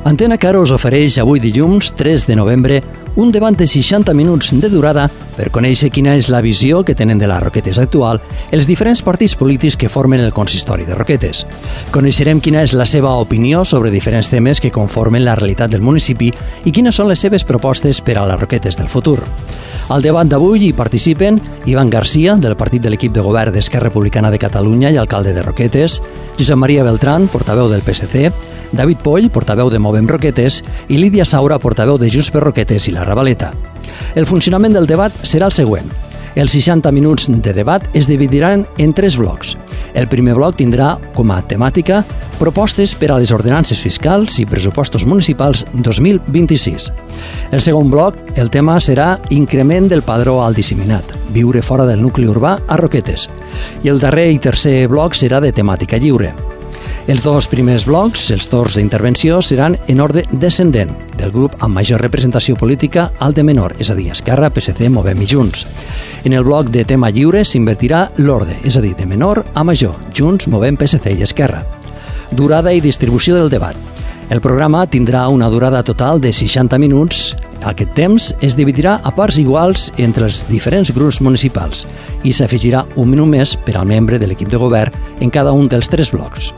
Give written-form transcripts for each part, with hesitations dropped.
Antena Caro us ofereix avui dilluns 3 de novembre un debat de 60 minuts de durada per conèixer quina és la visió que tenen de la Roquetes actual els diferents partits polítics que formen el consistori de Roquetes. Coneixerem quina és la seva opinió sobre diferents temes que conformen la realitat del municipi i quines són les seves propostes per a les Roquetes del futur. Al debat d'avui hi participen Ivan Garcia, del partit de l'equip de govern d'Esquerra Republicana de Catalunya i alcalde de Roquetes, Josep Maria Beltrán, portaveu del PSC, David Poll, portaveu de Movem Roquetes, i Lídia Saura, portaveu de Junts per Roquetes i la Ravaleta. El funcionament del debat serà el següent. Els 60 minuts de debat es dividiran en 3 blocs. El primer bloc tindrà com a temàtica propostes per a les ordenances fiscals i pressupostos municipals 2026. El segon bloc, el tema serà increment del padró al disseminat, viure fora del nucli urbà a Roquetes. I el darrer i tercer bloc serà de temàtica lliure. Els 2 primers blocs, els torns d'intervenció, seran en ordre descendent, del grup amb major representació política al de menor, és a dir, Esquerra, PSC, Movem i Junts. En el bloc de tema lliure s'invertirà l'ordre, és a dir, de menor a major, Junts, Movem, PSC i Esquerra. Durada i distribució del debat. El programa tindrà una durada total de 60 minuts. Aquest temps es dividirà a parts iguals entre els diferents grups municipals i s'afegirà un minut més per al membre de l'equip de govern en cada un dels 3 blocs.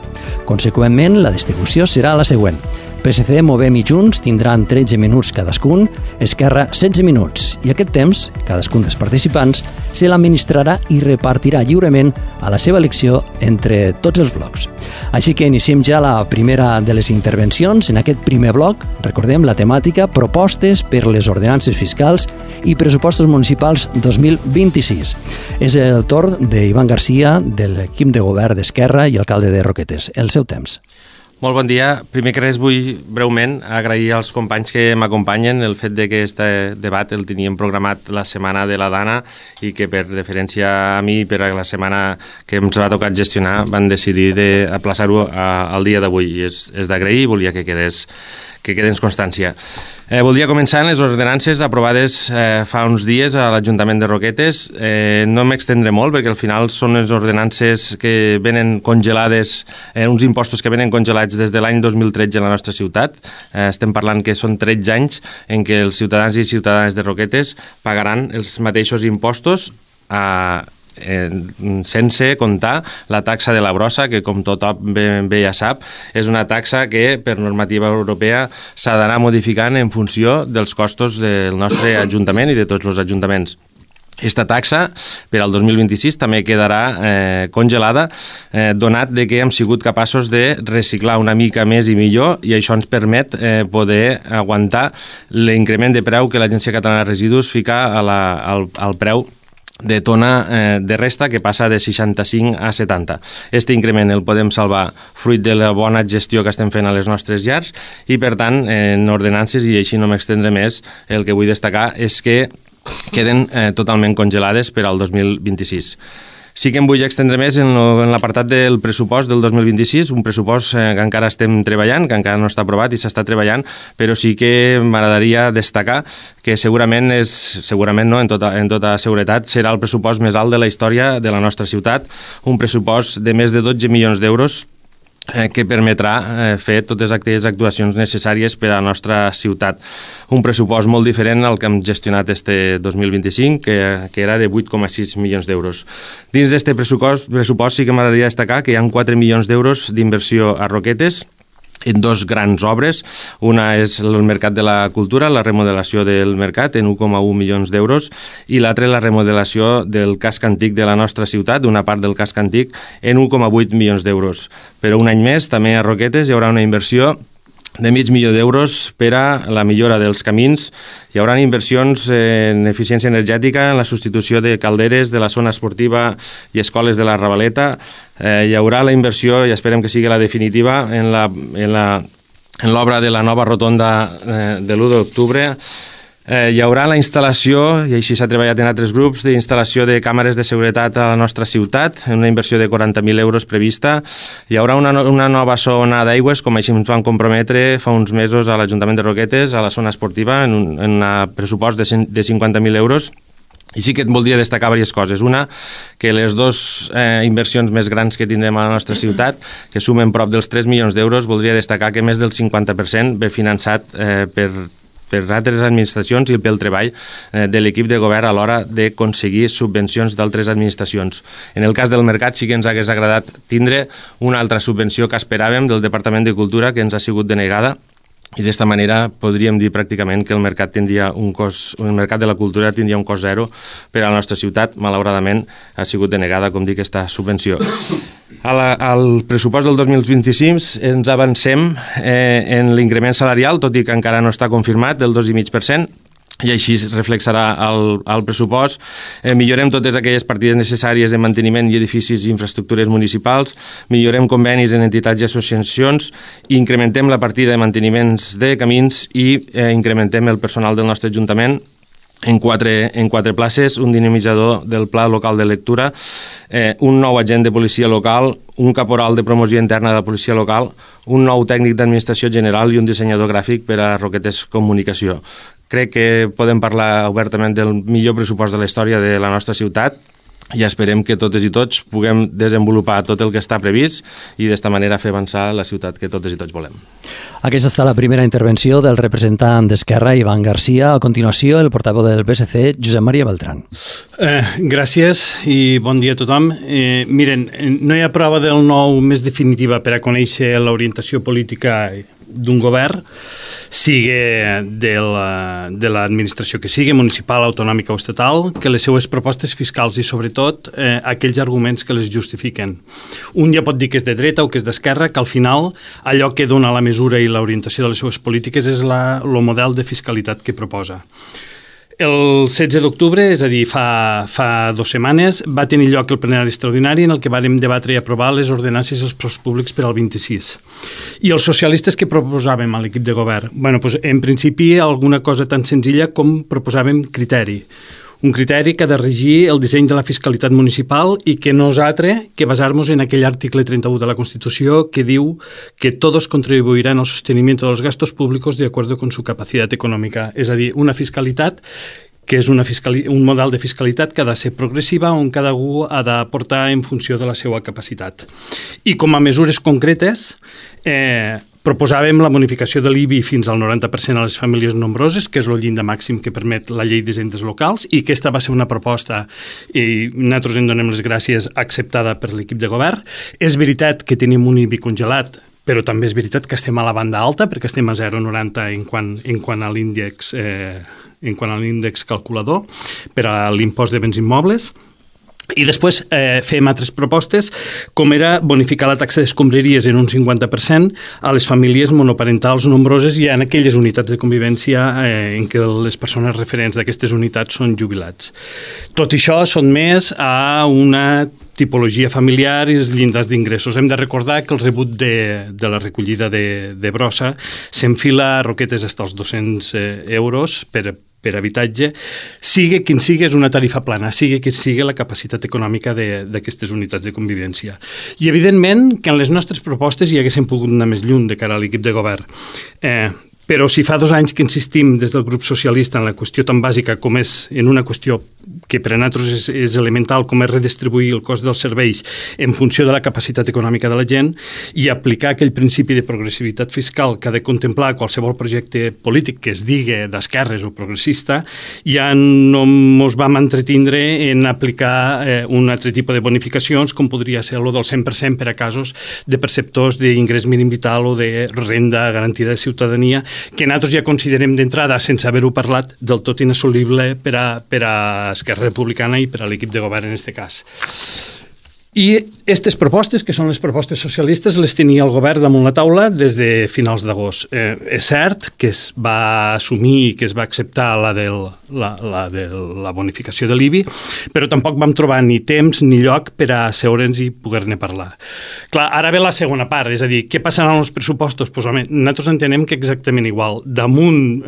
Conseqüentment, la distribució serà la següent. PSC, Movem i Junts tindran 13 minuts cadascun, Esquerra 16 minuts, i aquest temps, cadascun dels participants, se l'administrarà i repartirà lliurement a la seva elecció entre tots els blocs. Així que iniciem ja la primera de les intervencions. En aquest primer bloc, recordem la temàtica propostes per les ordenances fiscals i pressupostos municipals 2026. És el torn d'Ivan Garcia, de l'equip de govern d'Esquerra i alcalde de Roquetes. El seu temps. Molt bon dia. Primer que res vull breument agrair als companys que m'acompanyen el fet de que aquest debat el teníem programat la setmana de la Dana i que per deferència a mi per a la setmana que ens va tocar gestionar van decidir d'aplaçar-ho al dia d'avui i és d'agrair i volia que quedés constància. Voldria començar en les ordenances aprovades fa uns dies a l'Ajuntament de Roquetes. No m'extendré molt perquè al final són les ordenances que venen congelades, uns impostos que venen congelats des de l'any 2013 a la nostra ciutat. Estem parlant que són 13 anys en què els ciutadans i ciutadanes de Roquetes pagaran els mateixos impostos sense comptar la taxa de la brossa, que com tothom bé ja sap, és una taxa que per normativa europea s'ha d'anar modificant en funció dels costos del nostre Ajuntament i de tots els ajuntaments. Aquesta taxa per al 2026 també quedarà congelada, donat que hem sigut capaços de reciclar una mica més i millor i això ens permet poder aguantar l'increment de preu que l'Agència Catalana de Residus fica al preu de tona de resta, que passa de 65 a 70. Este increment el podem salvar fruit de la bona gestió que estem fent a les nostres llars i, per tant, en ordenances, i així no m'extendré més, el que vull destacar és que queden totalment congelades per al 2026. Sí que em vull extendre més en l'apartat del pressupost del 2026, un pressupost que encara estem treballant, que encara no està aprovat i s'està treballant, però sí que m'agradaria destacar que segurament no, en tota seguretat, serà el pressupost més alt de la història de la nostra ciutat, un pressupost de més de 12 milions d'euros que permetrà fer totes aquelles actuacions necessàries per a la nostra ciutat. Un pressupost molt diferent al que hem gestionat este 2025, que era de 8,6 milions d'euros. Dins d'aquest pressupost sí que m'agradaria destacar que hi ha 4 milions d'euros d'inversió a Roquetes, en 2 grans obres. Una és el Mercat de la Cultura, la remodelació del mercat en 1,1 milions d'euros, i l'altra la remodelació del casc antic de la nostra ciutat, d'una part del casc antic, en 1,8 milions d'euros. Però un any més, també a Roquetes, hi haurà una inversió de $500,000 d'euros per a la millora dels camins. Hi haurà inversions en eficiència energètica, en la substitució de calderes de la zona esportiva i escoles de la Ravaleta. Hi haurà la inversió, i esperem que sigui la definitiva, en l'obra de la nova rotonda de l'1 d'octubre. Hi haurà la instal·lació, i així s'ha treballat en altres grups, d'instal·lació de càmeres de seguretat a la nostra ciutat, en una inversió de 40.000 euros prevista. Hi haurà una nova zona d'aigües, com així ens van comprometre fa uns mesos a l'Ajuntament de Roquetes, a la zona esportiva, en un pressupost de 50.000 euros. I sí que et voldria destacar diverses coses. Una, que les dues inversions més grans que tindrem a la nostra ciutat, que sumen prop dels 3 milions d'euros, voldria destacar que més del 50% ve finançat per altres administracions i pel treball de l'equip de govern a l'hora d'aconseguir subvencions d'altres administracions. En el cas del mercat sí que ens hagués agradat tindre una altra subvenció que esperàvem del Departament de Cultura, que ens ha sigut denegada, i d'esta manera podríem dir pràcticament que el mercat de la cultura tindria un cost zero per a la nostra ciutat. Malauradament ha sigut denegada, com dic, aquesta subvenció. Al pressupost del 2025 ens avancem en l'increment salarial, tot i que encara no està confirmat, del 2,5%, i així es reflexarà al pressupost. Millorem totes aquelles partides necessàries de manteniment i edificis i infraestructures municipals, millorem convenis en entitats i associacions, incrementem la partida de manteniments de camins i incrementem el personal del nostre Ajuntament en quatre places, un dinamitzador del pla local de lectura, un nou agent de policia local, un caporal de promoció interna de la policia local, un nou tècnic d'administració general i un dissenyador gràfic per a Roquetes Comunicació. Crec que podem parlar obertament del millor pressupost de la història de la nostra ciutat i esperem que totes i tots puguem desenvolupar tot el que està previst i d'esta manera fer avançar la ciutat que totes i tots volem. Aquesta està la primera intervenció del representant d'Esquerra, Ivan Garcia. A continuació, el portaveu del PSC, Josep Maria Beltrán. Gràcies i bon dia a tothom. Miren, no hi ha prova del nou més definitiva per a conèixer l'orientació política d'un govern, sigui de l'administració que sigui, municipal, autonòmica o estatal, que les seues propostes fiscals i, sobretot, aquells arguments que les justifiquen. Un ja pot dir que és de dreta o que és d'esquerra, que al final allò que dona la mesura i l'orientació de les seues polítiques és el model de fiscalitat que proposa. El 16 d'octubre, és a dir, fa 2 setmanes, va tenir lloc el plenari extraordinari en el que vàrem debatre i aprovar les ordenances dels preus públics per al 26. I els socialistes que proposàvem a l'equip de govern? En principi, alguna cosa tan senzilla com proposàvem criteri. Un criteri que ha de regir el disseny de la fiscalitat municipal i que no és altre que basar-nos en aquell article 31 de la Constitució que diu que todos contribuirán al sostenimiento de los gastos públicos de acuerdo con su capacidad económica. És a dir, una fiscalitat que és un model de fiscalitat que ha de ser progressiva on cada algú ha d'aportar en funció de la seva capacitat. I com a mesures concretes, proposàvem la bonificació de l'IBI fins al 90% a les famílies nombroses, que és el llindar màxim que permet la llei d'hisendes locals, i aquesta va ser una proposta, i nosaltres en donem les gràcies, acceptada per l'equip de govern. És veritat que tenim un IBI congelat, però també és veritat que estem a la banda alta, perquè estem a 0,90 en quant a l'índex calculador per a l'impost de béns immobles. I després fem altres propostes, com era bonificar la taxa d'escombraries en un 50% a les famílies monoparentals nombroses i en aquelles unitats de convivència en què les persones referents d'aquestes unitats són jubilats. Tot això són més a una tipologia familiar i els llindars d'ingressos. Hem de recordar que el rebut de la recollida de brossa s'enfila a Roquetes fins als 200 euros per habitatge, sigui quin sigui, és una tarifa plana, sigui quin sigui la capacitat econòmica d'aquestes unitats de convivència. I, evidentment, que en les nostres propostes hi haguéssim pogut anar més lluny de cara a l'equip de govern. Però si fa 2 anys que insistim des del grup socialista en la qüestió tan bàsica com és en una qüestió que per a nosaltres és elemental, com és redistribuir el cost dels serveis en funció de la capacitat econòmica de la gent i aplicar aquell principi de progressivitat fiscal que ha de contemplar qualsevol projecte polític que es digui d'esquerres o progressista, ja no ens vam entretindre en aplicar un altre tipus de bonificacions com podria ser el del 100% per a casos de perceptors d'ingrés mínim vital o de renda garantida de ciutadania, que nosaltres ja considerem d'entrada, sense haver-ho parlat, del tot inassolible per a Esquerra Republicana i per a l'equip de govern en aquest cas. I aquestes propostes, que són les propostes socialistes, les tenia el govern damunt la taula des de finals d'agost. És cert que es va assumir i que es va acceptar la de la bonificació de l'IBI, però tampoc vam trobar ni temps ni lloc per a seure'ns i poder-ne parlar. Clar, ara ve la segona part, és a dir, què passarà amb els pressupostos? Pues, home, nosaltres entenem que exactament igual. Damunt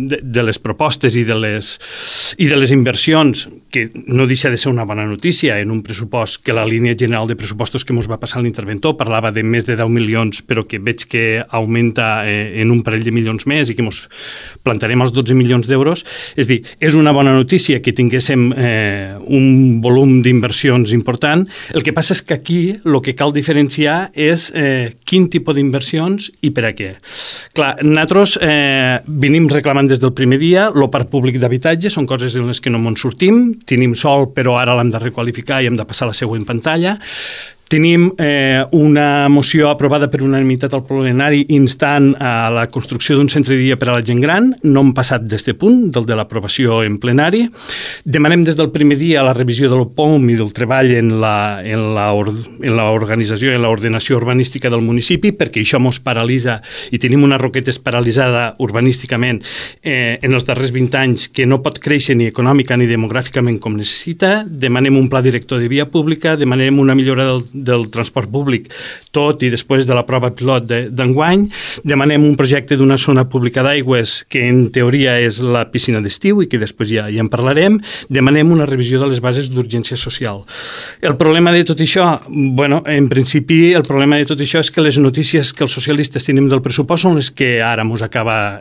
de les propostes i de les inversions, que no deixa de ser una bona notícia en un pressupost que la línia línia general de pressupostos que ens va passar l'interventor, parlava de més de 10 milions, però que veig que augmenta en un parell de milions més i que ens plantarem als 12 milions d'euros. És dir, és una bona notícia que tinguéssim un volum d'inversions important. El que passa és que aquí el que cal diferenciar és quin tipus d'inversions i per a què. Clar, nosaltres venim reclamant des del primer dia el parc públic d'habitatge, són coses en les que no ens sortim, tenim sol però ara l'hem de requalificar i hem de passar a la següent pantalla. Tenim una moció aprovada per unanimitat al plenari instant a la construcció d'un centre de dia per a la gent gran. No hem passat d'este punt, del de l'aprovació en plenari. Demanem des del primer dia la revisió del POM i del treball en l'organització i en l'ordenació urbanística del municipi, perquè això ens paralitza i tenim una Roquetes paralitzada urbanísticament en els darrers 20 anys que no pot créixer ni econòmica ni demogràficament com necessita. Demanem un pla director de via pública, demanem una millora del transport públic, tot i després de la prova pilot d'enguany. Demanem un projecte d'una zona pública d'aigües que en teoria és la piscina d'estiu i que després ja en parlarem. Demanem una revisió de les bases d'urgència social. El problema de tot això, en principi el problema de tot això és que les notícies que els socialistes tenim del pressupost són les que ara ens acaba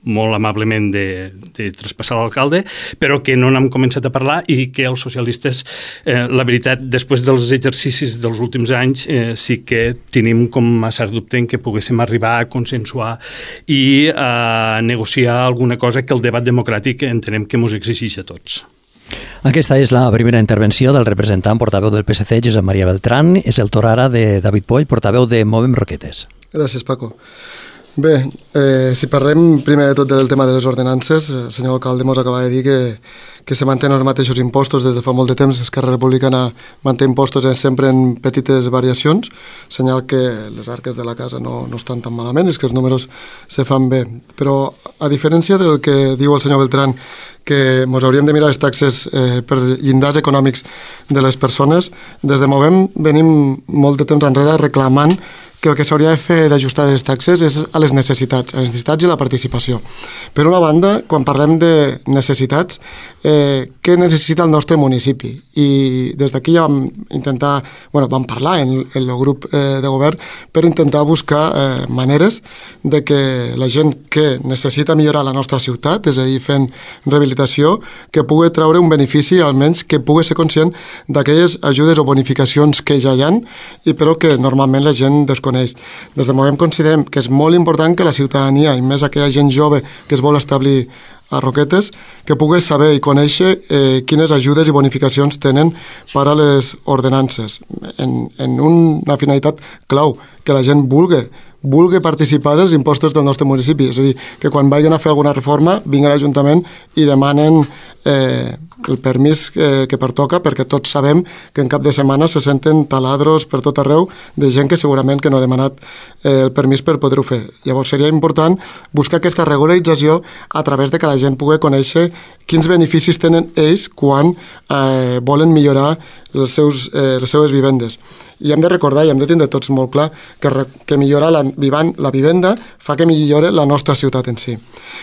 molt amablement de traspassar l'alcalde, però que no n'hem començat a parlar i que els socialistes, la veritat, després dels exercicis dels últims anys, sí que tenim com a cert dubte en que poguéssim arribar a consensuar i a negociar alguna cosa que el debat democràtic entenem que ens exigeix a tots. Aquesta és la primera intervenció del representant portaveu del PSC, Josep Maria Beltrán. És el torn ara de David Poll, portaveu de Movem Roquetes. Gràcies, Paco. Bé, si parlem primer de tot del tema de les ordenances, el senyor alcalde ens acaba de dir que se mantenen els mateixos impostos des de fa molt de temps. Esquerra Republicana manté impostos sempre en petites variacions, senyal que les arques de la casa no estan tan malament, és que els números se fan bé. Però a diferència del que diu el senyor Beltrán, que ens hauríem de mirar les taxes per llindars econòmics de les persones, des de Movem venim molt de temps enrere reclamant que el que s'hauria de fer d'ajustar les taxes és a les necessitats i la participació. Per una banda, quan parlem de necessitats, què necessita el nostre municipi? I des d'aquí ja vam parlar en el grup de govern per intentar buscar maneres de que la gent que necessita millorar la nostra ciutat, és a dir, fent rehabilitació, que pugui treure un benefici, almenys que pugui ser conscient d'aquelles ajudes o bonificacions que ja hi ha, i però que normalment la gent desconeix. Des de Movem considerem que és molt important que la ciutadania, i més aquella gent jove que es vol establir a Roquetes, que pugui saber i conèixer quines ajudes i bonificacions tenen per a les ordenances, en una finalitat clau, que la gent vulgui participar dels impostos del nostre municipi. És a dir, que quan vagin a fer alguna reforma vinguin a l'Ajuntament i demanen el permís que pertoca, perquè tots sabem que en cap de setmana se senten taladros per tot arreu de gent que segurament que no ha demanat el permís per poder-ho fer. Llavors seria important buscar aquesta regularització a través de que la gent pugui conèixer quins beneficis tenen ells quan volen millorar les seues vivendes. I hem de recordar i hem de tindre tots molt clar que millorar la vivenda fa que millore la nostra ciutat en si.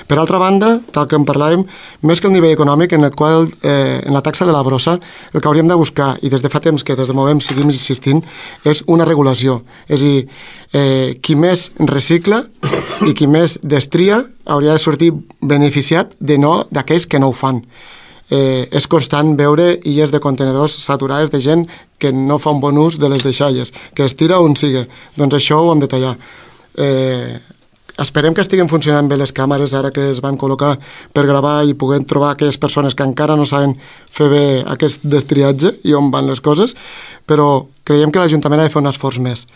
Per altra banda, tal com parlàvem, més que el nivell econòmic, en el qual en la taxa de la brossa el que hauríem de buscar, i des de fa temps que des de Movem seguim insistint, és una regulació. És a dir, qui més recicla i qui més destria hauria de sortir beneficiat d'aquells que no ho fan. És constant veure illes de contenedors saturades de gent que no fa un bon ús de les deixalles, que es tira on sigui. Doncs això ho hem de tallar. Esperem que estiguin funcionant bé les càmeres ara que es van col·locar per gravar i puguem trobar aquelles persones que encara no saben fer bé aquest destriatge i on van les coses, però creiem que l'Ajuntament ha de fer un esforç més.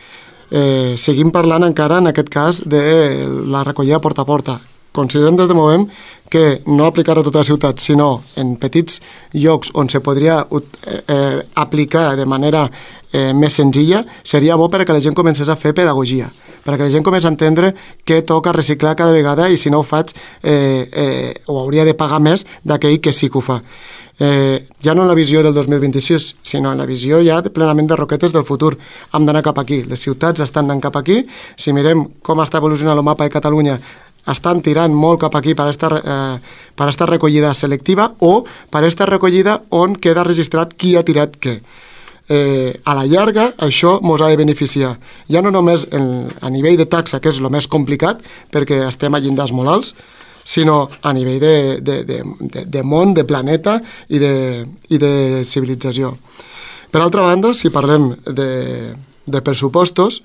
Seguim parlant encara, en aquest cas, de la recollida porta a porta. Considerem des de Movem que no aplicar a tota la ciutat, sinó en petits llocs on se podria aplicar de manera més senzilla, seria bo perquè la gent comencés a fer pedagogia, perquè la gent comença a entendre que toca reciclar cada vegada i si no ho faig ho hauria de pagar més d'aquell que sí que ho fa. Ja no en la visió del 2026, sinó en la visió ja plenament de Roquetes del futur. Hem d'anar cap aquí, les ciutats estan anant cap aquí. Si mirem com està evolucionant el mapa de Catalunya, estan tirant molt cap aquí per esta recollida selectiva o per esta recollida on queda registrat qui ha tirat què. a la llarga això ens ha de beneficiar. Ja no només a nivell de taxa, que és el més complicat, perquè estem a llindars molt alts, sinó a nivell de món, de planeta i de civilització. Per altra banda, si parlem de pressupostos,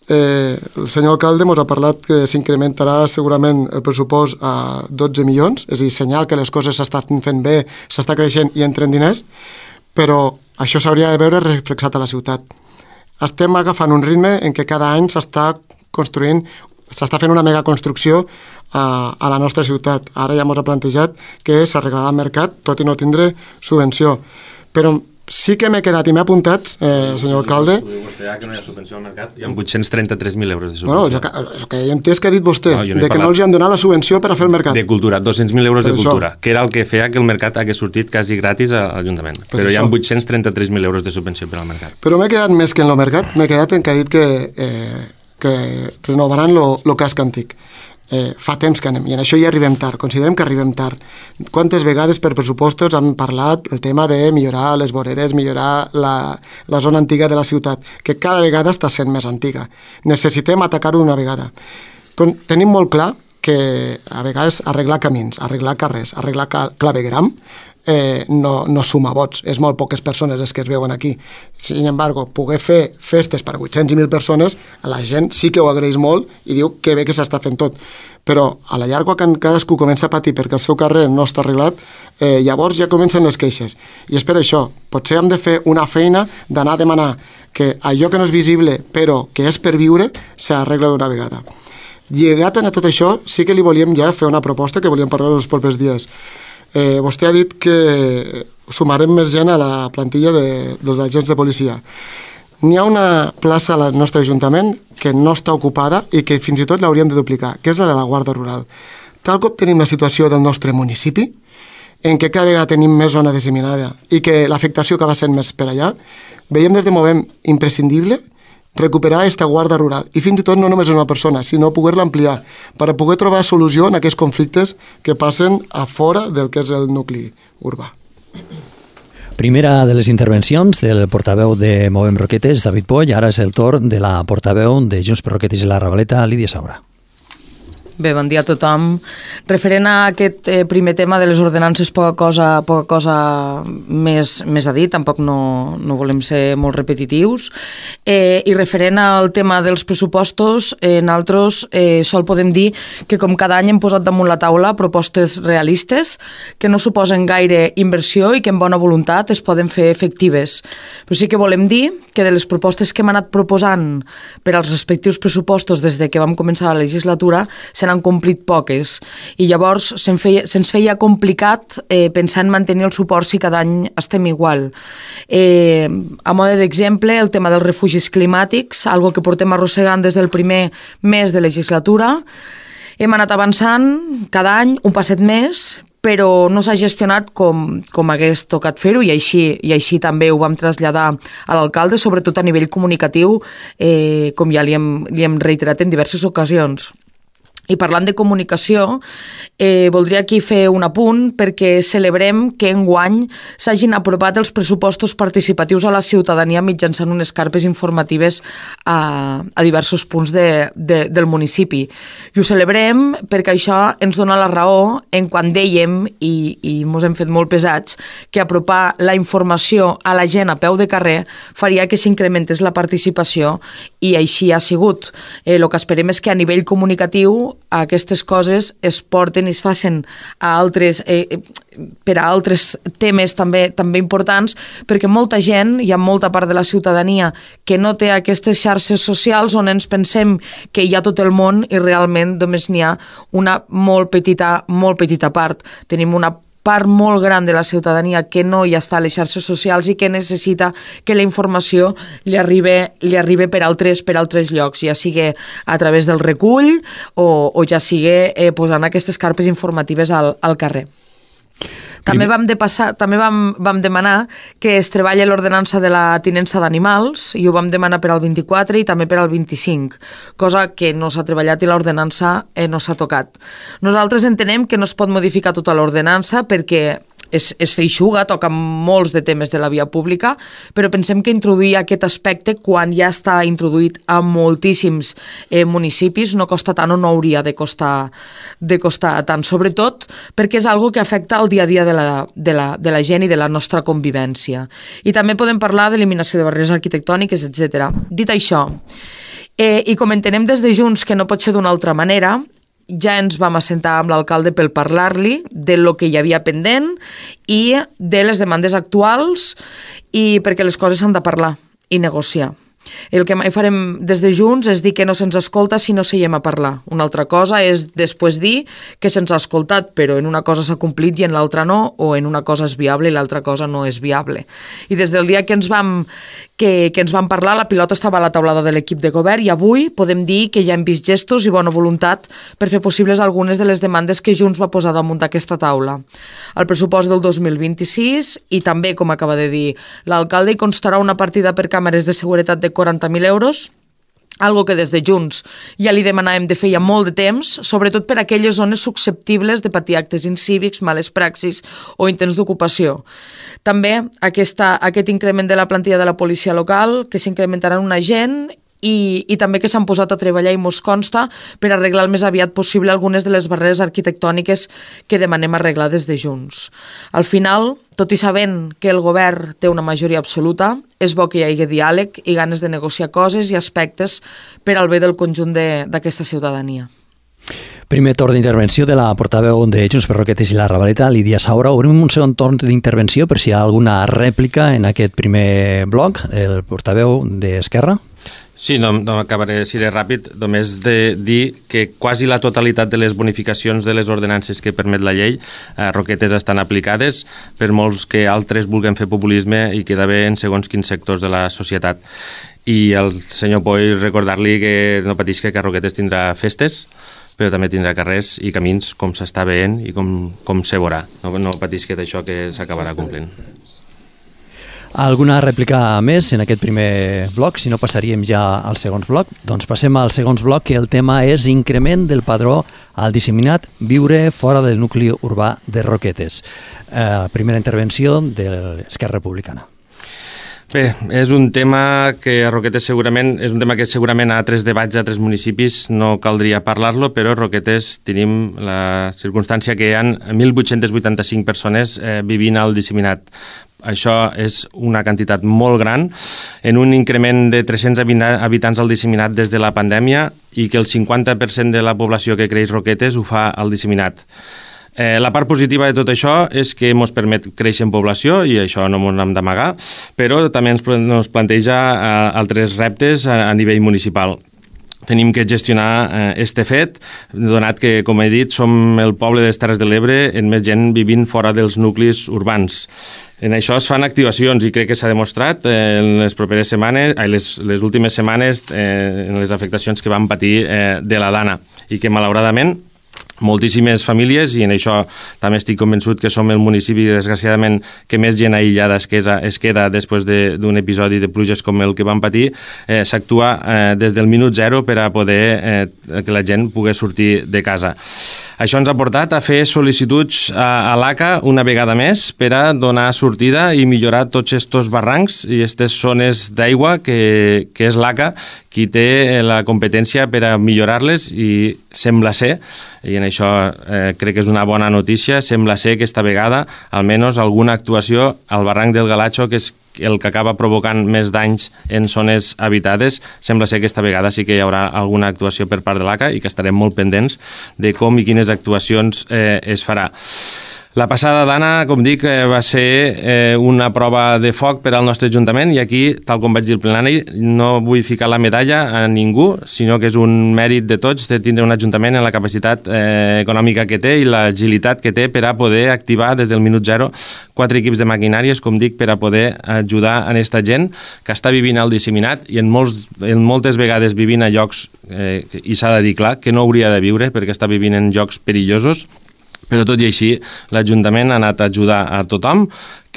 el senyor alcalde ens ha parlat que s'incrementarà segurament el pressupost a 12 milions, és a dir, senyal que les coses s'estan fent bé, s'està creixent i entren diners, però això s'hauria de veure reflexat a la ciutat. Estem agafant un ritme en què cada any s'està fent una megaconstrucció a la nostra ciutat. Ara ja ens ha plantejat que s'arreglarà el mercat, tot i no tindre subvenció. Però sí que m'he quedat i m'he apuntat, senyor alcalde... Ho diu vostè, que no hi ha subvenció al mercat? Hi ha 833.000 euros de subvenció. Bueno, el que he entès que ha dit vostè, que no els han donat la subvenció per a fer el mercat. De cultura, 200.000 euros de cultura, que era el que feia que el mercat hagués sortit quasi gratis a l'Ajuntament. Però hi ha 833.000 euros de subvenció per al mercat. Però m'he quedat més que en el mercat, m'he quedat en que ha dit que renovaran el casc antic. Fa temps que anem, i en això ja arribem tard, considerem que arribem tard. Quantes vegades per pressupostos han parlat el tema de millorar les voreres, millorar la zona antiga de la ciutat, que cada vegada està sent més antiga. Necessitem atacar-ho d'una vegada. Tenim molt clar que a vegades arreglar camins, arreglar carrers, arreglar clavegram, no suma vots, és molt poques persones les que es veuen aquí. Sin embargo, poder fer festes per a 800 i 1.000 persones, la gent sí que ho agraeix molt i diu que bé que s'està fent tot, però a la llarga quan cadascú comença a patir perquè el seu carrer no està arreglat, llavors ja comencen les queixes, i és per això potser hem de fer una feina d'anar a demanar que allò que no és visible però que és per viure s'arregla d'una vegada. Lligat a tot això, sí que li volíem ja fer una proposta que volíem parlar els propers dies. Vostè ha dit que sumarem més gent a la plantilla dels agents de policia. N'hi ha una plaça al nostre Ajuntament que no està ocupada i que fins i tot l'hauríem de duplicar, que és la de la Guàrdia Rural. Tal com tenim la situació del nostre municipi, en què cada vegada tenim més zona disseminada i que l'afectació acaba sent més per allà, veiem des de moment imprescindible recuperar aquesta guàrdia rural, i fins i tot no només una persona, sinó poder-la ampliar, per a poder trobar solució en aquests conflictes que passen a fora del que és el nucli urbà. Primera de les intervencions del portaveu de Movem Roquetes, David Poll. Ara és el torn de la portaveu de Junts per Roquetes i la Ravaleta, Lídia Saura. Bé, bon dia a tothom. Referent a aquest primer tema de les ordenances, poca cosa més a dir, tampoc no volem ser molt repetitius. I referent al tema dels pressupostos, nosaltres sol podem dir que com cada any hem posat damunt la taula propostes realistes que no suposen gaire inversió i que amb bona voluntat es poden fer efectives. Però sí que volem dir que de les propostes que hem anat proposant per als respectius pressupostos des de que vam començar la legislatura se n'han complit poques, i llavors se'ns feia complicat pensar en mantenir el suport si cada any estem igual. A mode d'exemple, el tema dels refugis climàtics, algo que portem arrossegant des del primer mes de legislatura. Hem anat avançant cada any un passet més, però no s'ha gestionat com hagués tocat fer-ho, i així també ho vam traslladar a l'alcalde, sobretot a nivell comunicatiu, com ja li hem reiterat en diverses ocasions. I parlant de comunicació, voldria aquí fer un apunt perquè celebrem que enguany s'hagin aprovat els pressupostos participatius a la ciutadania mitjançant unes carpes informatives a diversos punts del municipi. I ho celebrem perquè això ens dona la raó en quan dèiem, i mos hem fet molt pesats, que apropar la informació a la gent a peu de carrer faria que s'incrementés la participació, i així ha sigut. El que esperem és que a nivell comunicatiu aquestes coses es porten i es facin per a altres temes també importants, perquè molta gent, hi ha molta part de la ciutadania que no té aquestes xarxes socials on ens pensem que hi ha tot el món i realment només n'hi ha una molt petita part. Tenim una part molt gran de la ciutadania que no hi està a les xarxes socials i que necessita que la informació li arribi per altres llocs, ja sigui a través del recull o ja sigui posant aquestes carpes informatives al carrer. També vam demanar que es treballi l'ordenança de la tinença d'animals, i ho vam demanar per al 24 i també per al 25, cosa que no s'ha treballat i l'ordenança no s'ha tocat. Nosaltres entenem que no es pot modificar tota l'ordenança perquè és feixuga, toca molts de temes de la via pública, però pensem que introduir aquest aspecte quan ja està introduït a moltíssims municipis no costa tant o no hauria de costar tant, sobretot perquè és algo que afecta el dia a dia de la gent i de la nostra convivència. I també podem parlar d'eliminació de barreres arquitectòniques, etc. Dit això, i com entenem des de Junts que no pot ser d'una altra manera, ja ens vam assentar amb l'alcalde per parlar-li de lo que hi havia pendent i de les demandes actuals, i perquè les coses s'han de parlar i negociar. El que mai farem des de Junts és dir que no se'ns escolta si no seiem a parlar. Una altra cosa és després dir que se'ns ha escoltat, però en una cosa s'ha complit i en l'altra no, o en una cosa és viable i l'altra cosa no és viable. I des del dia que ens vam parlar, la pilota estava a la taulada de l'equip de govern, i avui podem dir que ja hem vist gestos i bona voluntat per fer possibles algunes de les demandes que Junts va posar damunt d'aquesta taula. El pressupost del 2026, i també, com acaba de dir l'alcalde, hi constarà una partida per càmeres de seguretat de 40.000 euros, algo que des de Junts ja li demanàvem de feia molt de temps, sobretot per a aquelles zones susceptibles de patir actes incívics, males praxis o intents d'ocupació. També aquest increment de la plantilla de la policia local, que s'incrementarà en un agent, i també que s'han posat a treballar, i mos consta, per arreglar el més aviat possible algunes de les barreres arquitectòniques que demanem arreglar des de Junts. Al final, tot i sabent que el govern té una majoria absoluta, és bo que hi hagi diàleg i ganes de negociar coses i aspectes per al bé del conjunt d'aquesta ciutadania. Primer torn d'intervenció de la portaveu de Junts per Roquetes i la Ravaleta, Lídia Saura. Obrim un segon torn d'intervenció per si hi ha alguna rèplica en aquest primer bloc, el portaveu d'Esquerra. Sí, no acabaré, seré ràpid, només de dir que quasi la totalitat de les bonificacions de les ordenances que permet la llei a Roquetes estan aplicades, per molts que altres vulguin fer populisme i quedar bé en segons quins sectors de la societat. I al senyor Poi recordar-li que no patisca, que a Roquetes tindrà festes, però també tindrà carrers i camins com s'està veient i com se veurà. No patisca d'això que s'acabarà complint. Alguna rèplica més en aquest primer bloc? Si no, passaríem ja al segon bloc. Doncs passem al segon bloc, que el tema és increment del padró al disseminat viure fora del nucli urbà de Roquetes. Primera intervenció de l'Esquerra Republicana. Bé, és un tema que a Roquetes segurament a altres debats d'altres municipis no caldria parlar-lo, però a Roquetes tenim la circumstància que hi ha 1.885 persones vivint al disseminat. Això és una quantitat molt gran, en un increment de 300 habitants al disseminat des de la pandèmia, i que el 50% de la població que creix Roquetes ho fa al disseminat. La part positiva de tot això és que ens permet créixer en població, i això no ens hem d'amagar, però també ens planteja altres reptes a nivell municipal. Tenim que gestionar este fet, donat que, com he dit, som el poble de les Terres de l'Ebre amb més gent vivint fora dels nuclis urbans. En això es fan activacions, i crec que s'ha demostrat en les properes setmanes, les últimes setmanes, en les afectacions que van patir de la Dana, i que malauradament moltíssimes famílies, i en això també estic convençut que som el municipi, desgraciadament, que més gent aïllada es queda després d'un episodi de pluges com el que van patir. S'actua des del minut zero per a poder que la gent pugui sortir de casa. Això ens ha portat a fer sol·licituds a l'ACA una vegada més per a donar sortida i millorar tots aquests barrancs i aquestes zones d'aigua que és l'ACA qui té la competència per a millorar-les, i sembla ser, i en això crec que és una bona notícia, sembla ser que esta vegada almenys alguna actuació al barranc del Galatxo, que és el que acaba provocant més danys en zones habitades, sembla ser que esta vegada sí que hi haurà alguna actuació per part de l'ACA, i que estarem molt pendents de com i quines actuacions es farà. La passada d'Anna, com dic, va ser una prova de foc per al nostre Ajuntament, i aquí, tal com vaig dir al plenari, no vull ficar la medalla a ningú, sinó que és un mèrit de tots de tindre un Ajuntament en la capacitat econòmica que té i l'agilitat que té per a poder activar des del minut zero 4 equips de maquinàries, com dic, per a poder ajudar a aquesta gent que està vivint al disseminat i en moltes vegades vivint a llocs, i s'ha de dir clar, que no hauria de viure perquè està vivint en llocs perillosos. Però tot i així, l'Ajuntament ha anat a ajudar a tothom,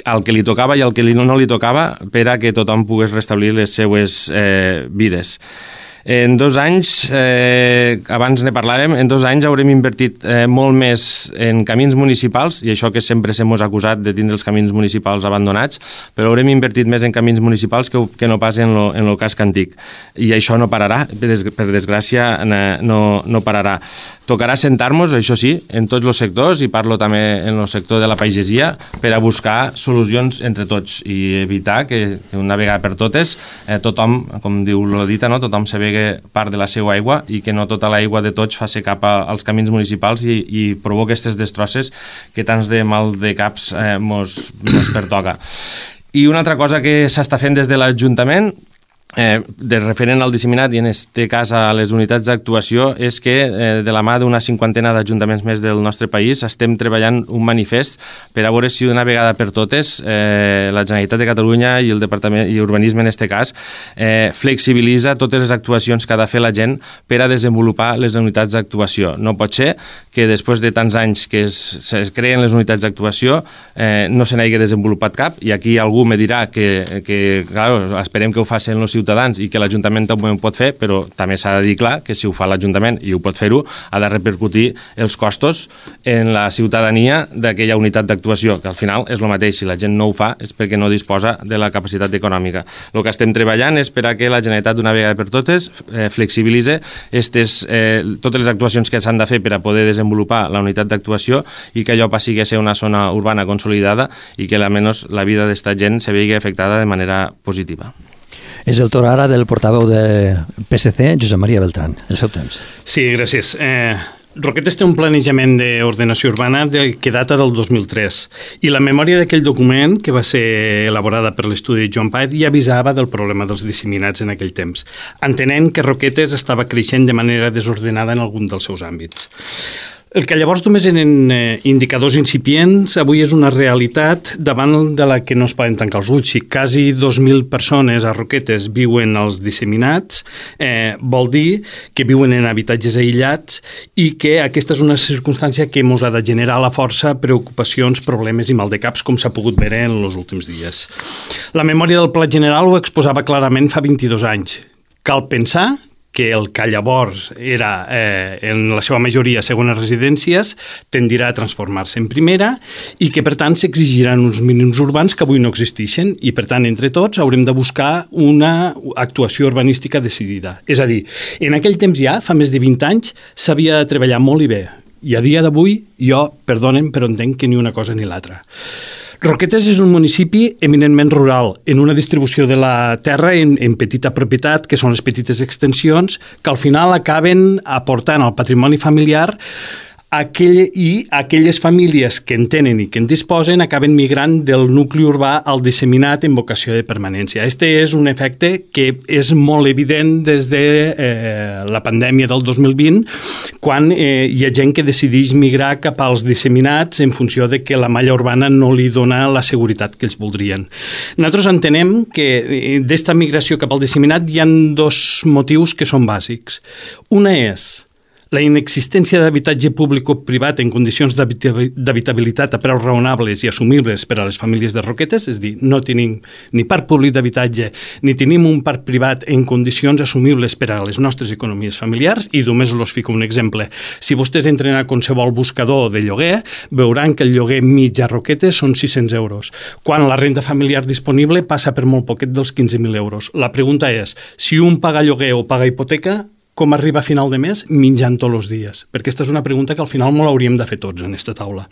al que li tocava i al que no li tocava, per a que tothom pogués restablir les seues vides. En 2 anys, abans ne parlàvem, en 2 anys haurem invertit molt més en camins municipals, i això que sempre s'hem acusat de tindre els camins municipals abandonats, però haurem invertit més en camins municipals que no pas en el casc antic. I això no pararà, per desgràcia no pararà. Tocarà sentar-nos, això sí, en tots els sectors, i parlo també en el sector de la pagesia, per a buscar solucions entre tots i evitar que una vegada per totes tothom, com diu la dita, no? Tothom se vegui part de la seva aigua i que no tota l'aigua de tots faci cap als camins municipals i provoca aquestes destrosses que tants de mal de caps mos pertoca. I una altra cosa que s'està fent des de l'Ajuntament, de referent al disseminat i en aquest cas a les unitats d'actuació, és que de la mà d'una 50ena d'ajuntaments més del nostre país estem treballant un manifest per a veure si d'una vegada per totes la Generalitat de Catalunya i el Departament i Urbanisme en aquest cas flexibilitza totes les actuacions que ha de fer la gent per a desenvolupar les unitats d'actuació. No pot ser que després de tants anys que es creen les unitats d'actuació no se n'hagi desenvolupat cap, i aquí algú me dirà que claro, esperem que ho facin els ciutadans i que l'Ajuntament també ho pot fer, però també s'ha de dir clar que si ho fa l'Ajuntament i ho pot fer-ho, ha de repercutir els costos en la ciutadania d'aquella unitat d'actuació, que al final és el mateix. Si la gent no ho fa és perquè no disposa de la capacitat econòmica. El que estem treballant és per a que la Generalitat d'una vegada per totes flexibilitzi totes les actuacions que s'han de fer per a poder desenvolupar la unitat d'actuació i que allò passi a ser una zona urbana consolidada i que almenys la vida d'esta gent se vegi afectada de manera positiva. És el torn ara del portaveu de PSC, Josep Maria Beltrán. El seu temps. Sí, gràcies. Roquetes té un planejament d'ordenació urbana que data del 2003 i la memòria d'aquell document, que va ser elaborada per l'estudi de Joan Paet, ja avisava del problema dels disseminats en aquell temps, entenent que Roquetes estava creixent de manera desordenada en algun dels seus àmbits. El que llavors només eren indicadors incipients, avui és una realitat davant de la que no es poden tancar els ulls. Si quasi 2.000 persones a Roquetes viuen als disseminats, vol dir que viuen en habitatges aïllats i que aquesta és una circumstància que ens ha de generar a la força preocupacions, problemes i maldecaps, com s'ha pogut veure en els últims dies. La memòria del Pla General ho exposava clarament fa 22 anys. Cal pensar que el que llavors era, en la seva majoria, segones residències, tendirà a transformar-se en primera i que, per tant, s'exigiran uns mínims urbans que avui no existeixen i, per tant, entre tots haurem de buscar una actuació urbanística decidida. És a dir, en aquell temps ja, fa més de 20 anys, s'havia de treballar molt i bé. I a dia d'avui, jo, perdonen, però entenc que ni una cosa ni l'altra. Roquetes és un municipi eminentment rural, en una distribució de la terra en petita propietat, que són les petites extensions, que al final acaben aportant al patrimoni familiar i aquelles famílies que en tenen i que en disposen acaben migrant del nucli urbà al disseminat en vocació de permanència. Este és un efecte que és molt evident des de la pandèmia del 2020, quan hi ha gent que decideix migrar cap als disseminats en funció de que la malla urbana no li dona la seguretat que ells voldrien. Nosaltres entenem que d'esta migració cap al disseminat hi ha 2 motius que són bàsics. Una és la inexistència d'habitatge públic o privat en condicions d'habitabilitat a preus raonables i assumibles per a les famílies de Roquetes, és a dir, no tenim ni parc públic d'habitatge ni tenim un parc privat en condicions assumibles per a les nostres economies familiars, i només us fico un exemple. Si vostès entren a qualsevol buscador de lloguer, veuran que el lloguer mig a Roquetes són 600 euros, quan la renda familiar disponible passa per molt poquet dels 15.000 euros. La pregunta és, si un paga lloguer o paga hipoteca, com arriba a final de mes menjant tots els dies? Perquè aquesta és una pregunta que al final molt hauríem de fer tots en aquesta taula.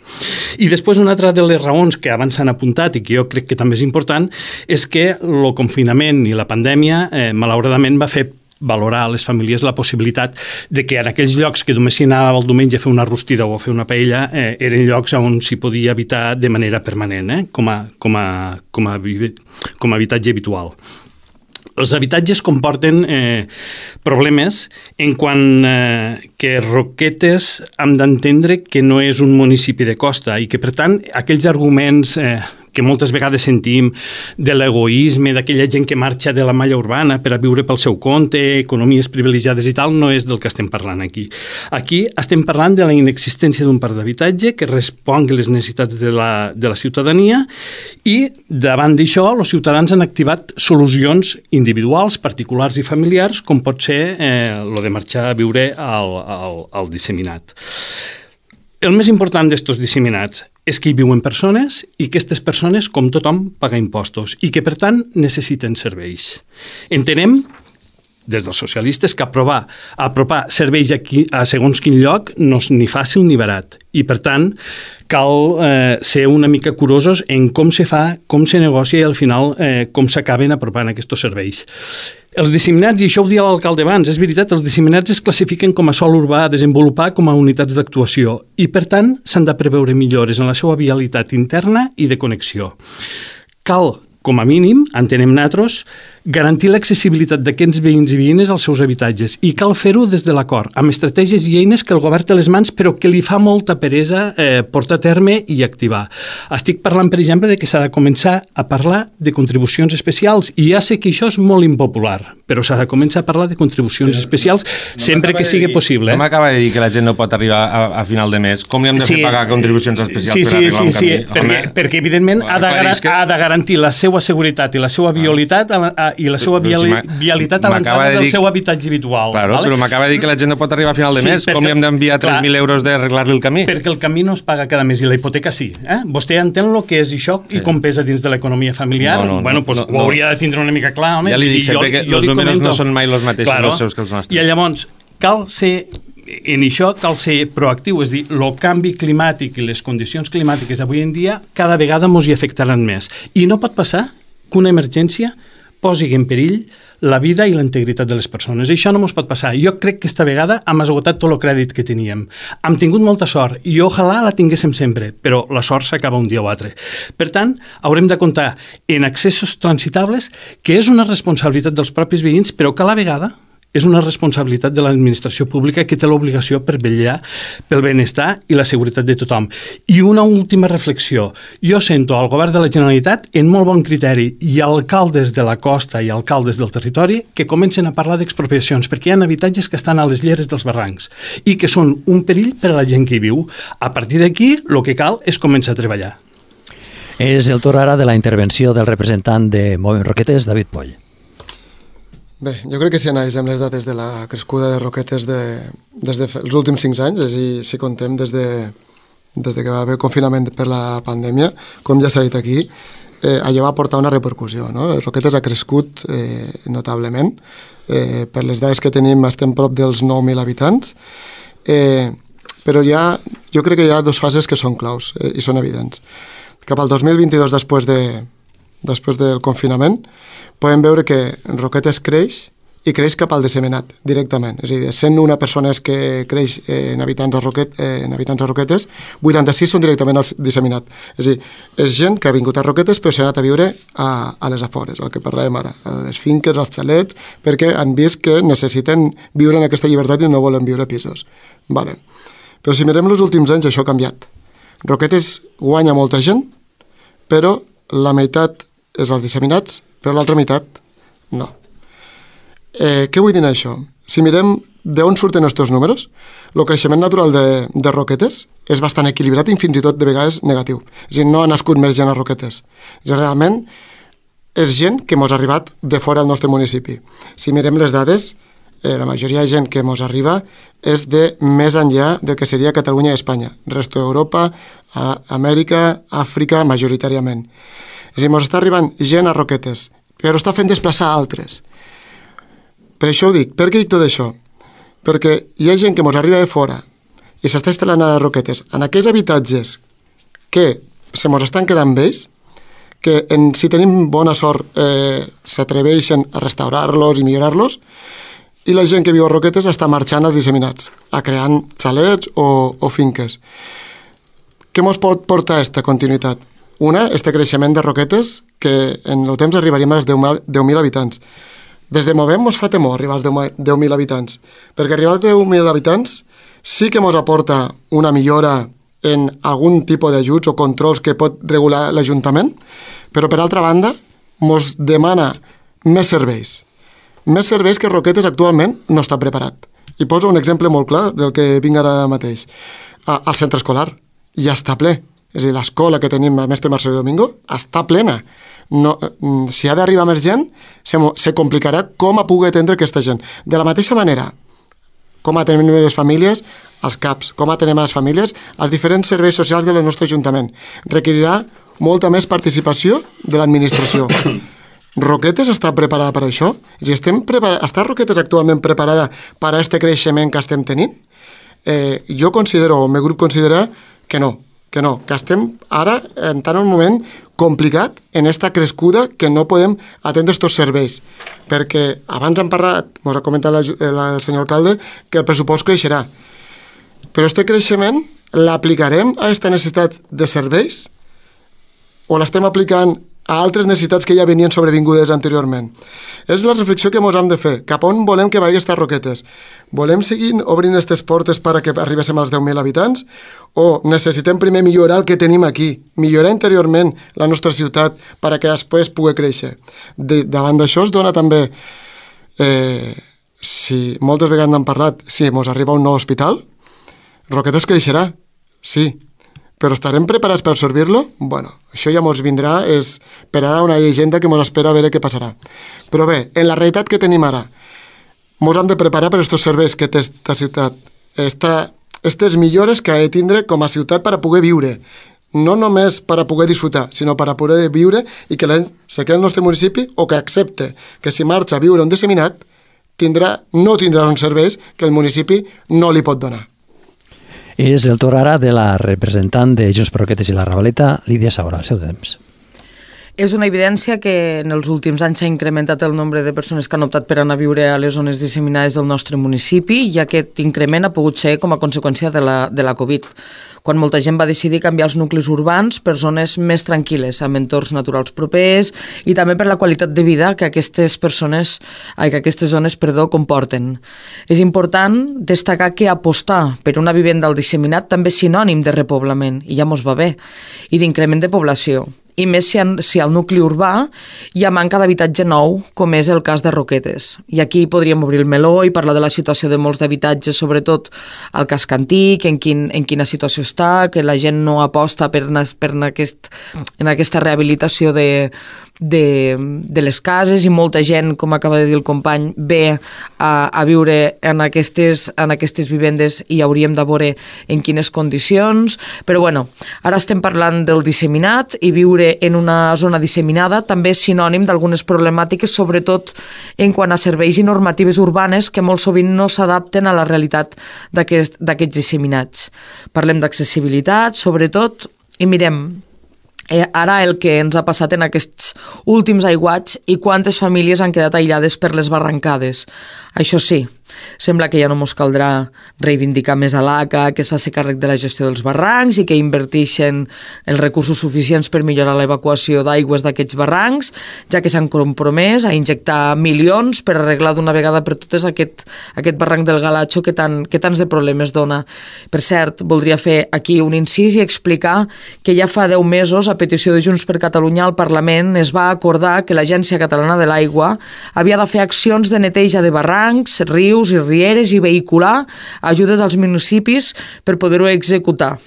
I després una altra de les raons que abans s'han apuntat i que jo crec que també és important és que el confinament i la pandèmia malauradament va fer valorar a les famílies la possibilitat de que en aquells llocs que només s'hi anava el diumenge a fer una rostida o a fer una paella eren llocs on s'hi podia habitar de manera permanent, com a habitatge habitual. Els habitatges comporten problemes en quant que Roquetes hem d'entendre que no és un municipi de costa i que, per tant, aquells arguments que moltes vegades sentim de l'egoisme, d'aquella gent que marxa de la malla urbana per a viure pel seu compte, economies privilegiades i tal, no és del que estem parlant aquí. Aquí estem parlant de la inexistència d'un parc d'habitatge que respongui les necessitats de la ciutadania i davant d'això els ciutadans han activat solucions individuals, particulars i familiars, com pot ser lo de marxar a viure al disseminat. El més important d'estos disseminats és que hi viuen persones i que aquestes persones, com tothom, paguen impostos i que, per tant, necessiten serveis. Entenem, des dels socialistes, que apropar serveis a segons quin lloc no és ni fàcil ni barat. I, per tant, cal ser una mica curosos en com se fa, com se negocia i, al final, com s'acaben apropant aquests serveis. Els disseminats, i això ho dia l'alcalde abans, és veritat, els disseminats es classifiquen com a sòl urbà a desenvolupar com a unitats d'actuació i, per tant, s'han de preveure millores en la seva vialitat interna i de connexió. Cal, com a mínim, entenem nosaltres, garantir l'accessibilitat d'aquests veïns i veïnes als seus habitatges i cal fer-ho des de l'acord, amb estratègies i eines que el govern té a les mans però que li fa molta peresa portar a terme i activar. Estic parlant, per exemple, de que s'ha de començar a parlar de contribucions especials i ja sé que això és molt impopular, però s'ha de començar a parlar de contribucions especials sempre que sigui possible. No m'acaba de dir que la gent no pot arribar a final de mes. Com li hem de fer pagar contribucions especials per arribar a un camí? Perquè evidentment ha de garantir la seva seguretat i la seva vialitat i la seva vialitat a l'entrada del seu habitatge habitual. Claro, però m'acaba de dir que la gent no pot arribar a final de mes. Com li hem d'enviar 3.000 euros d'arreglar-li el camí? Perquè el camí no es paga cada mes i la hipoteca sí. Vostè entén el que és això i com pesa dins de l'economia familiar? Bueno, doncs ho hauria de tindre una mica clar, home. Ja li dic sempre que els números no són mai els mateixos els seus que els nostres. I llavors, en això cal ser proactiu, és dir, el canvi climàtic i les condicions climàtiques avui en dia cada vegada ens hi afectaran més. I no pot passar que una emergència posi en perill la vida i la integritat de les persones. Això no ens pot passar. Jo crec que esta vegada hem esgotat tot el crèdit que teníem. Hem tingut molta sort i ojalà la tinguéssim sempre, però la sort s'acaba un dia o altre. Per tant, haurem de comptar en accessos transitables, que és una responsabilitat dels propis veïns, però que a la vegada és una responsabilitat de l'administració pública que té l'obligació per vetllar pel benestar i la seguretat de tothom. I una última reflexió. Jo sento al govern de la Generalitat en molt bon criteri i alcaldes de la costa i alcaldes del territori que comencen a parlar d'expropiacions perquè hi ha habitatges que estan a les lleres dels barrancs i que són un perill per a la gent que hi viu. A partir d'aquí, el que cal és començar a treballar. És el torn ara de la intervenció del representant de Movem Roquetes, David Poll. Bé, jo crec que si analitzem les dates de la crescuda de Roquetes des dels últims 5 anys, és a dir, si contem des que va haver confinament per la pandèmia, com ja s'ha dit aquí, allò va portar una repercussió, no? Roquetes ha crescut notablement, per les dades que tenim estem prop dels 9.000 habitants, però jo crec que hi ha 2 fases que són claus i són evidents. Cap al 2022, després del confinament, podem veure que Roquetes creix i creix cap al disseminat, directament. És a dir, 101 persones que creix en habitants a Roquetes, 86 són directament al disseminat. És a dir, és gent que ha vingut a Roquetes però s'ha anat a viure a les afores, el que parlàvem ara, a les finques, als xalets, perquè han vist que necessiten viure en aquesta llibertat i no volen viure a pisos. Vale. Però si mirem els últims anys, això ha canviat. Roquetes guanya molta gent, però la meitat és als disseminats, però l'altra meitat no. Què vull dir això? Si mirem d'on surten aquests números, el creixement natural de Roquetes és bastant equilibrat i fins i tot de vegades negatiu. És a dir, no ha nascut més gent a Roquetes. És a dir, realment és gent que ens ha arribat de fora del nostre municipi. Si mirem les dades, la majoria de gent que ens arriba és de més enllà del que seria Catalunya i Espanya. Resto d'Europa, Amèrica, Àfrica, majoritàriament. És a dir, ens està arribant gent a Roquetes, però està fent desplaçar altres. Per això ho dic. Per què dic tot això? Perquè hi ha gent que ens arriba de fora i s'està instal·lant a Roquetes en aquells habitatges que se ens estan quedant vells, que si tenim bona sort s'atreveixen a restaurar-los i millorar-los, i la gent que viu a Roquetes està marxant als disseminats, a creant xalets o finques. Què ens pot portar aquesta continuïtat? Una, este creixement de Roquetes, que en el temps arribaríem als 10.000 habitants. Des de Movem ens fa temor arribar als 10.000 habitants, perquè arribar als 10.000 habitants sí que ens aporta una millora en algun tipus d'ajuts o controls que pot regular l'Ajuntament, però per altra banda ens demana més serveis. Més serveis que Roquetes actualment no està preparat. I poso un exemple molt clar del que vinc ara mateix. Al centre escolar ja està ple. És a dir, l'escola que tenim a Mestre Marcelo Domingo està plena. No, si ha d'arribar més gent, se complicarà com a pugui atendre aquesta gent. De la mateixa manera, com atenem les famílies, als CAPs, com atenem les famílies, als diferents serveis socials del nostre Ajuntament. Requerirà molta més participació de l'administració. Roquetes està preparada per això? Si està Roquetes actualment preparada per a aquest creixement que estem tenint? Jo considero, o el meu grup considera que no, que estem ara entrant en un moment complicat en esta crescuda que no podem atendre aquests serveis, perquè abans hem parlat, ens ha comentat el senyor alcalde, que el pressupost creixerà, però aquest creixement l'aplicarem a aquesta necessitat de serveis o l'estem aplicant a altres necessitats que ja venien sobrevingudes anteriorment? És la reflexió que ens hem de fer. Cap on volem que vagi aquestes Roquetes? Volem seguir obrint aquestes portes perquè arribéssim als 10.000 habitants? O necessitem primer millorar el que tenim aquí, millorar interiorment la nostra ciutat perquè després pugui créixer? Davant d'això es dona també, si moltes vegades n'hem parlat, si ens arriba un nou hospital, Roquetes creixerà, sí, però estarem preparats per absorbir-lo? Bueno, això ja ens vindrà, és per ara una llegenda que ens espera a veure què passarà. Però bé, en la realitat que tenim ara, ens hem de preparar per aquests serveis que té aquesta ciutat, aquestes millores que ha de tindre com a ciutat per a poder viure, no només per a poder disfrutar, sinó per a poder viure i que la gent se quedi al nostre municipi o que accepte que si marxa a viure un disseminat no tindrà uns serveis que el municipi no li pot donar. És el torn ara de la representant de Junts per Roquetes i la Ravaleta, Lídia Saura, al seu temps. És una evidència que en els últims anys s'ha incrementat el nombre de persones que han optat per anar a viure a les zones disseminades del nostre municipi i aquest increment ha pogut ser com a conseqüència de la Covid, quan molta gent va decidir canviar els nuclis urbans per zones més tranquil·les, amb entorns naturals propers i també per la qualitat de vida que aquestes zones comporten. És important destacar que apostar per una vivenda al disseminat també és sinònim de repoblament, i ja mos va bé, i d'increment de població. I més si al nucli urbà hi ha manca d'habitatge nou, com és el cas de Roquetes. I aquí podríem obrir el meló i parlar de la situació de molts d'habitatges, sobretot al casc antic, en quina situació està, que la gent no aposta en aquesta rehabilitació de les cases i molta gent, com acaba de dir el company, ve a viure en aquestes vivendes i hauríem de veure en quines condicions. Però bueno, ara estem parlant del disseminat i viure en una zona disseminada també és sinònim d'algunes problemàtiques, sobretot en quant a serveis i normatives urbanes que molt sovint no s'adapten a la realitat d'aquests disseminats. Parlem d'accessibilitat, sobretot, i mirem ara el que ens ha passat en aquests últims aiguats i quantes famílies han quedat aïllades per les barrancades. Això sí, sembla que ja no mos caldrà reivindicar més a l'ACA, que es faci càrrec de la gestió dels barrancs i que inverteixen els recursos suficients per millorar l'evacuació d'aigües d'aquests barrancs, ja que s'han compromès a injectar milions per arreglar d'una vegada per totes aquest barranc del Galatxo que tants de problemes dona. Per cert, voldria fer aquí un incís i explicar que ja fa 10 mesos, a petició de Junts per Catalunya, al Parlament es va acordar que l'Agència Catalana de l'Aigua havia de fer accions de neteja de barrancs, rius i rieres i vehicular ajudes als municipis per poder-ho executar.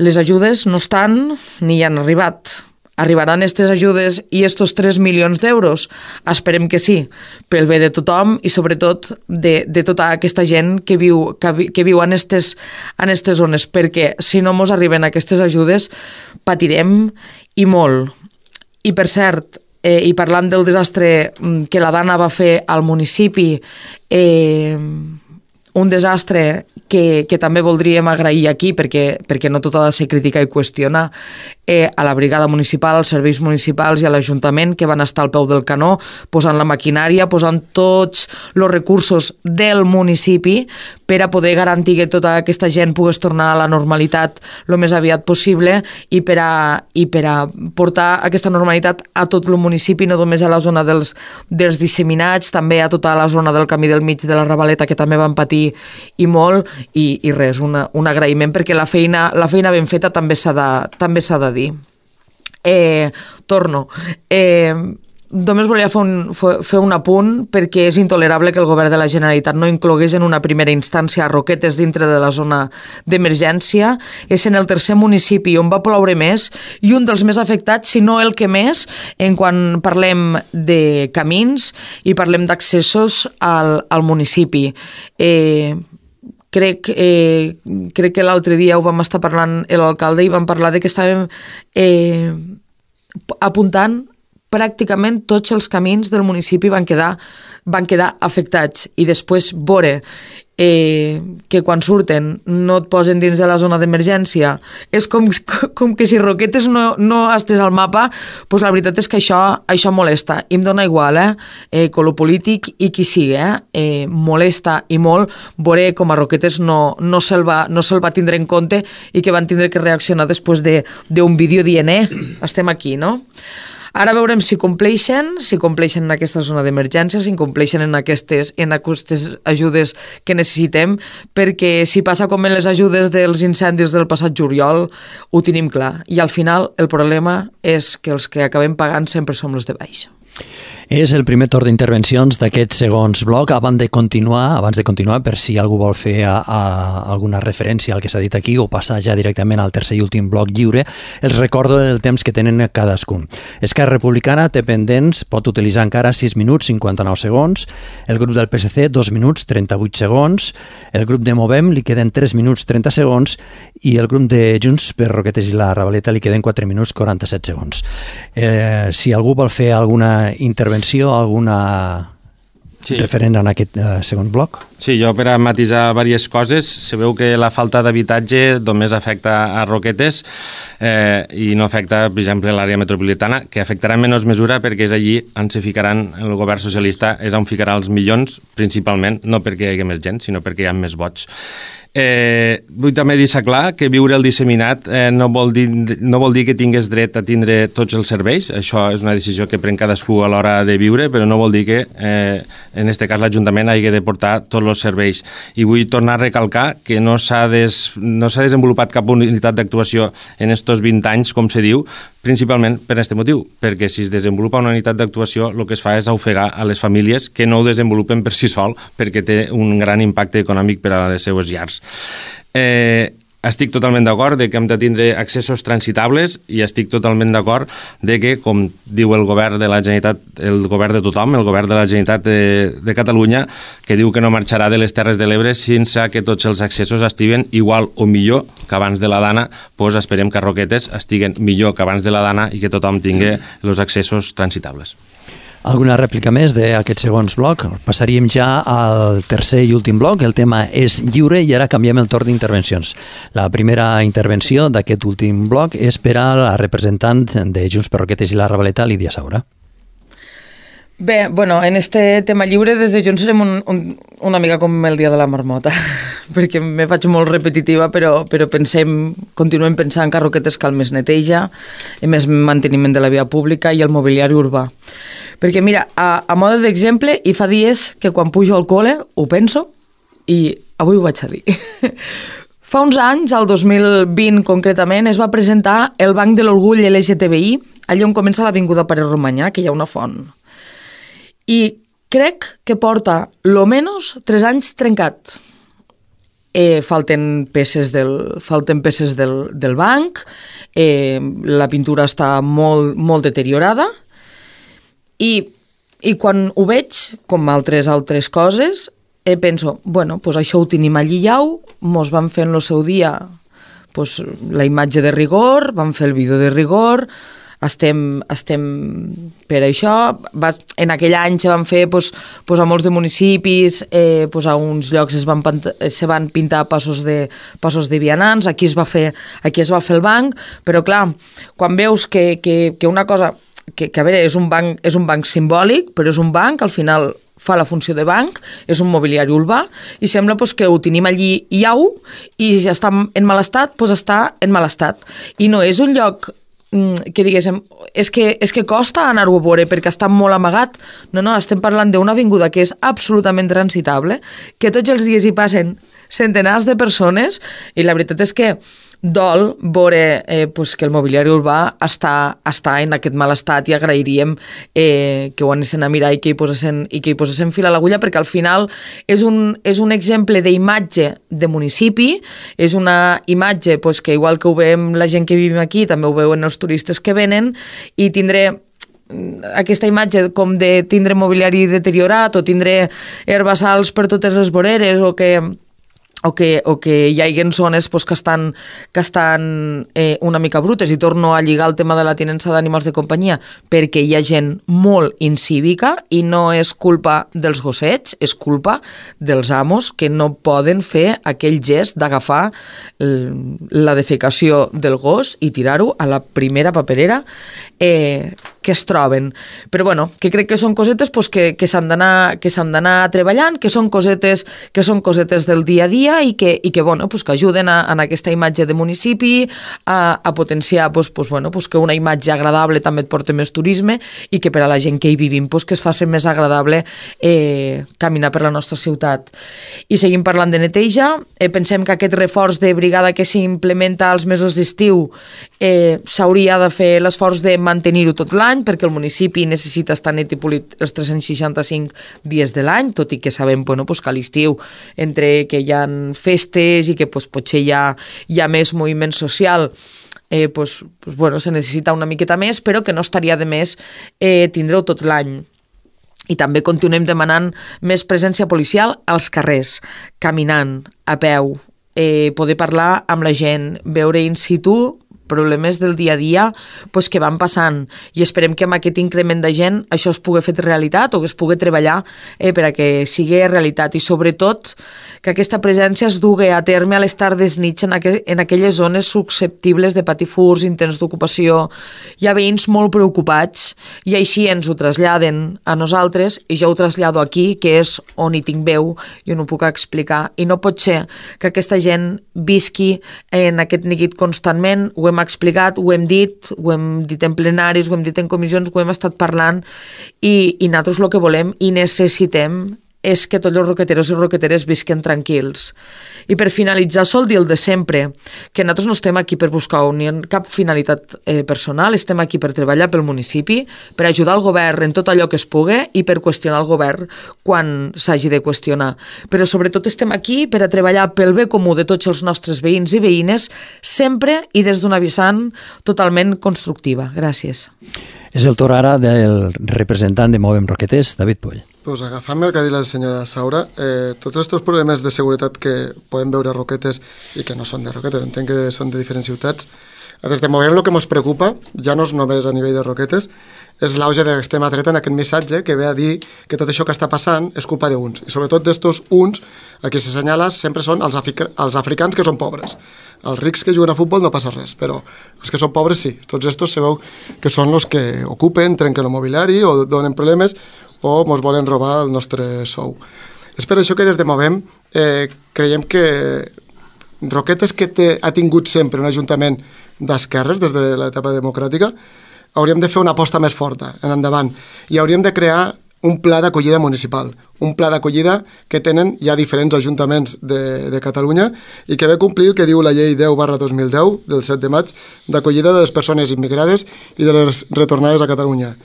Les ajudes no estan ni hi han arribat. Arribaran aquestes ajudes i estos 3 milions d'euros? Esperem que sí, pel bé de tothom i sobretot de tota aquesta gent que viu en aquestes zones, perquè si no mos arriben aquestes ajudes patirem i molt. I per cert, i parlant del desastre que la Dana va fer al municipi, un desastre que també voldríem agrair aquí, perquè no tot ha de ser criticar i qüestionar, a la brigada municipal, als serveis municipals i a l'Ajuntament, que van estar al peu del canó, posant la maquinària, posant tots els recursos del municipi per a poder garantir que tota aquesta gent pogués tornar a la normalitat el més aviat possible i per a portar aquesta normalitat a tot el municipi, no només a la zona dels disseminats, també a tota la zona del Camí del Mig de la Ravaleta, que també van patir i molt, i res, un agraïment, perquè la feina ben feta també s'ha de dir. Torno. Només volia fer un apunt, perquè és intolerable que el govern de la Generalitat no inclogués en una primera instància a Roquetes dintre de la zona d'emergència. És en el tercer municipi on va ploure més i un dels més afectats, si no el que més, en quan parlem de camins i parlem d'accessos al municipi. Crec que l'altre dia ho vam estar parlant l'alcalde i vam parlar de que estàvem apuntant pràcticament tots els camins del municipi van quedar afectats, i després veure que quan surten no et posen dins de la zona d'emergència és com que si Roquetes no estés al mapa, doncs la veritat és que això molesta, i em dona igual, color polític i qui sigui, molesta i molt veure com a Roquetes no se'l va tindre en compte i que van tindre que reaccionar després d'un vídeo dient estem aquí, no? Ara veurem si compleixen en aquesta zona d'emergència, si compleixen en aquestes ajudes que necessitem, perquè si passa com en les ajudes dels incendis del passat juliol, ho tenim clar. I al final el problema és que els que acabem pagant sempre som els de baix. És el primer torn d'intervencions d'aquest segons bloc. Abans de continuar, per si algú vol fer alguna referència al que s'ha dit aquí o passar ja directament al tercer i últim bloc lliure, els recordo el temps que tenen cadascun. Esquerra Republicana té pendents, pot utilitzar encara 6 minuts 59 segons, el grup del PSC 2 minuts 38 segons, el grup de Movem li queden 3 minuts 30 segons i el grup de Junts per Roquetes i la Ravaleta li queden 4 minuts 47 segons. Si algú vol fer alguna intervenció, alguna referent en aquest segon bloc? Sí, jo per a matisar diverses coses, sabeu que la falta d'habitatge només afecta a Roquetes i no afecta, per exemple, l'àrea metropolitana, que afectarà en menys mesura perquè és allí on se ficaran, el govern socialista és on ficarà els milions, principalment, no perquè hi hagi més gent, sinó perquè hi ha més vots. Vull també deixar clar que viure el disseminat no vol dir que tingués dret a tindre tots els serveis. Això és una decisió que pren cadascú a l'hora de viure, però no vol dir que en aquest cas l'Ajuntament hagi de portar tots els serveis. I vull tornar a recalcar que no s'ha desenvolupat cap unitat d'actuació en estos 20 anys, com se diu, principalment per aquest motiu, perquè si es desenvolupa una unitat d'actuació el que es fa és ofegar a les famílies que no ho desenvolupen per si sol, perquè té un gran impacte econòmic per a les seues llars. Estic totalment d'acord de que hem de tindre accessos transitables i estic totalment d'acord de que, com diu el govern de la Generalitat, el govern de tothom, el govern de la Generalitat de Catalunya, que diu que no marxarà de les Terres de l'Ebre sense que tots els accessos estiguen igual o millor que abans de la Dana, doncs esperem que a Roquetes estiguen millor que abans de la Dana i que tothom tingui els accessos transitables. Alguna rèplica més d'aquest segons bloc? Passaríem ja al tercer i últim bloc. El tema és lliure i ara canviem el torn d'intervencions. La primera intervenció d'aquest últim bloc és per a la representant de Junts per Roquetes i la Ravaleta, Lídia Saura. Bé, bueno, en este tema lliure des de Junts serem una mica com el dia de la marmota, perquè me faig molt repetitiva, però continuem pensant que a Roquetes cal més neteja, més manteniment de la via pública i el mobiliari urbà. Perquè mira, a mode d'exemple, i fa dies que quan pujo al col·le ho penso i avui ho vaig a dir. Fa uns anys, al 2020 concretament, es va presentar el Banc de l'Orgull LGTBI, allà on comença l'Avinguda Pare Romanyà, que hi ha una font. I crec que porta, lo menos, 3 anys trencat. Falten peces del banc, la pintura està molt deteriorada, i quan ho veig, com altres coses, penso, bueno, pues això ho tenim allí llau, mos van fer en el seu dia pues, la imatge de rigor, van fer el vídeo de rigor, estem per això. En aquell any se van fer a molts de municipis, a uns llocs se van pintar passos de vianants, aquí es va fer el banc, però clar, quan veus que una cosa que a veure, és un banc simbòlic, però és un banc, al final fa la funció de banc, és un mobiliari urbà, i sembla que ho tenim allí iau, i si està en mal estat, està en mal estat. I no és un lloc que diguéssim, és que costa anar-ho a veure perquè està molt amagat. No, estem parlant d'una avinguda que és absolutament transitable, que tots els dies hi passen centenars de persones, i la veritat és que dol veure que el mobiliari urbà està en aquest mal estat, i agrairíem que ho anessin a mirar i que hi posessin fil a l'agulla, perquè al final és un exemple d'imatge de municipi, és una imatge que igual que ho veiem la gent que vivim aquí, també ho veuen els turistes que venen, i tindré aquesta imatge com de tindre mobiliari deteriorat o tindre herbassals per totes les voreres, o que hi hagi zones que estan una mica brutes, i torno a lligar el tema de la tinença d'animals de companyia, perquè hi ha gent molt incívica, i no és culpa dels gossets, és culpa dels amos que no poden fer aquell gest d'agafar la defecació del gos i tirar-ho a la primera paperera que es troben. Però bueno, que crec que són cosetes que s'han d'anar treballant, que són cosetes del dia a dia, i que ajuden en aquesta imatge de municipi, a potenciar que una imatge agradable també et porta més turisme, i que per a la gent que hi vivim que es faci més agradable caminar per la nostra ciutat. I seguim parlant de neteja. Pensem que aquest reforç de brigada que s'implementa als mesos d'estiu s'hauria de fer l'esforç de mantenir-ho tot l'any, perquè el municipi necessita estar net i polit els 365 dies de l'any, tot i que sabem que a l'estiu, entre que hi ha festes i que potser hi ha més moviment social, se necessita una miqueta més, però que no estaria de més tindre-ho tot l'any. I també continuem demanant més presència policial als carrers, caminant, a peu, poder parlar amb la gent, veure in situ problemes del dia a dia que van passant, i esperem que amb aquest increment de gent això es pugui fer realitat, o que es pugui treballar per a que sigui realitat, i sobretot que aquesta presència es dugui a terme a les tardes nits en aquelles zones susceptibles de patir furts, intents d'ocupació. Hi ha veïns molt preocupats, i així ens ho traslladen a nosaltres, i jo ho trasllado aquí, que és on hi tinc veu i on ho puc explicar, i no pot ser que aquesta gent visqui en aquest neguit constantment. Ho hem explicat, ho hem dit en plenaris, ho hem dit en comissions, ho hem estat parlant, i nosaltres el que volem i necessitem és que tots els roqueteros i roqueteres visquen tranquils. I per finalitzar, sol dir el de sempre, que nosaltres no estem aquí per buscar ni cap finalitat personal, estem aquí per treballar pel municipi, per ajudar el govern en tot allò que es pugui, i per qüestionar el govern quan s'hagi de qüestionar. Però sobretot estem aquí per a treballar pel bé comú de tots els nostres veïns i veïnes, sempre i des d'una vessant totalment constructiva. Gràcies. És el torn ara del representant de Movem Roquetes, David Poll. Pues agafant-me el que ha dit la senyora Saura, tots aquests problemes de seguretat que podem veure a Roquetes i que no són de Roquetes, entenc que són de diferents ciutats, des de Movem el que ens preocupa, ja no és només a nivell de Roquetes, és l'auge de l'extrema dreta en aquest missatge que ve a dir que tot això que està passant és culpa d'uns, i sobretot d'estos uns a qui s'assenyala sempre són els africans que són pobres. Els rics que juguen a futbol no passa res, però els que són pobres sí. Tots estos sabeu que són els que ocupen, trenquen el mobiliari o donen problemes o ens volen robar el nostre sou. És per això que des de Movem creiem que Roquetes, que ha tingut sempre un ajuntament d'esquerres des de l'etapa democràtica, hauríem de fer una aposta més forta en endavant, i hauríem de crear un pla d'acollida municipal, un pla d'acollida que tenen ja diferents ajuntaments de Catalunya i que ve a complir el que diu la llei 10/2010 del 7 de maig d'acollida de les persones immigrades i de les retornades a Catalunya,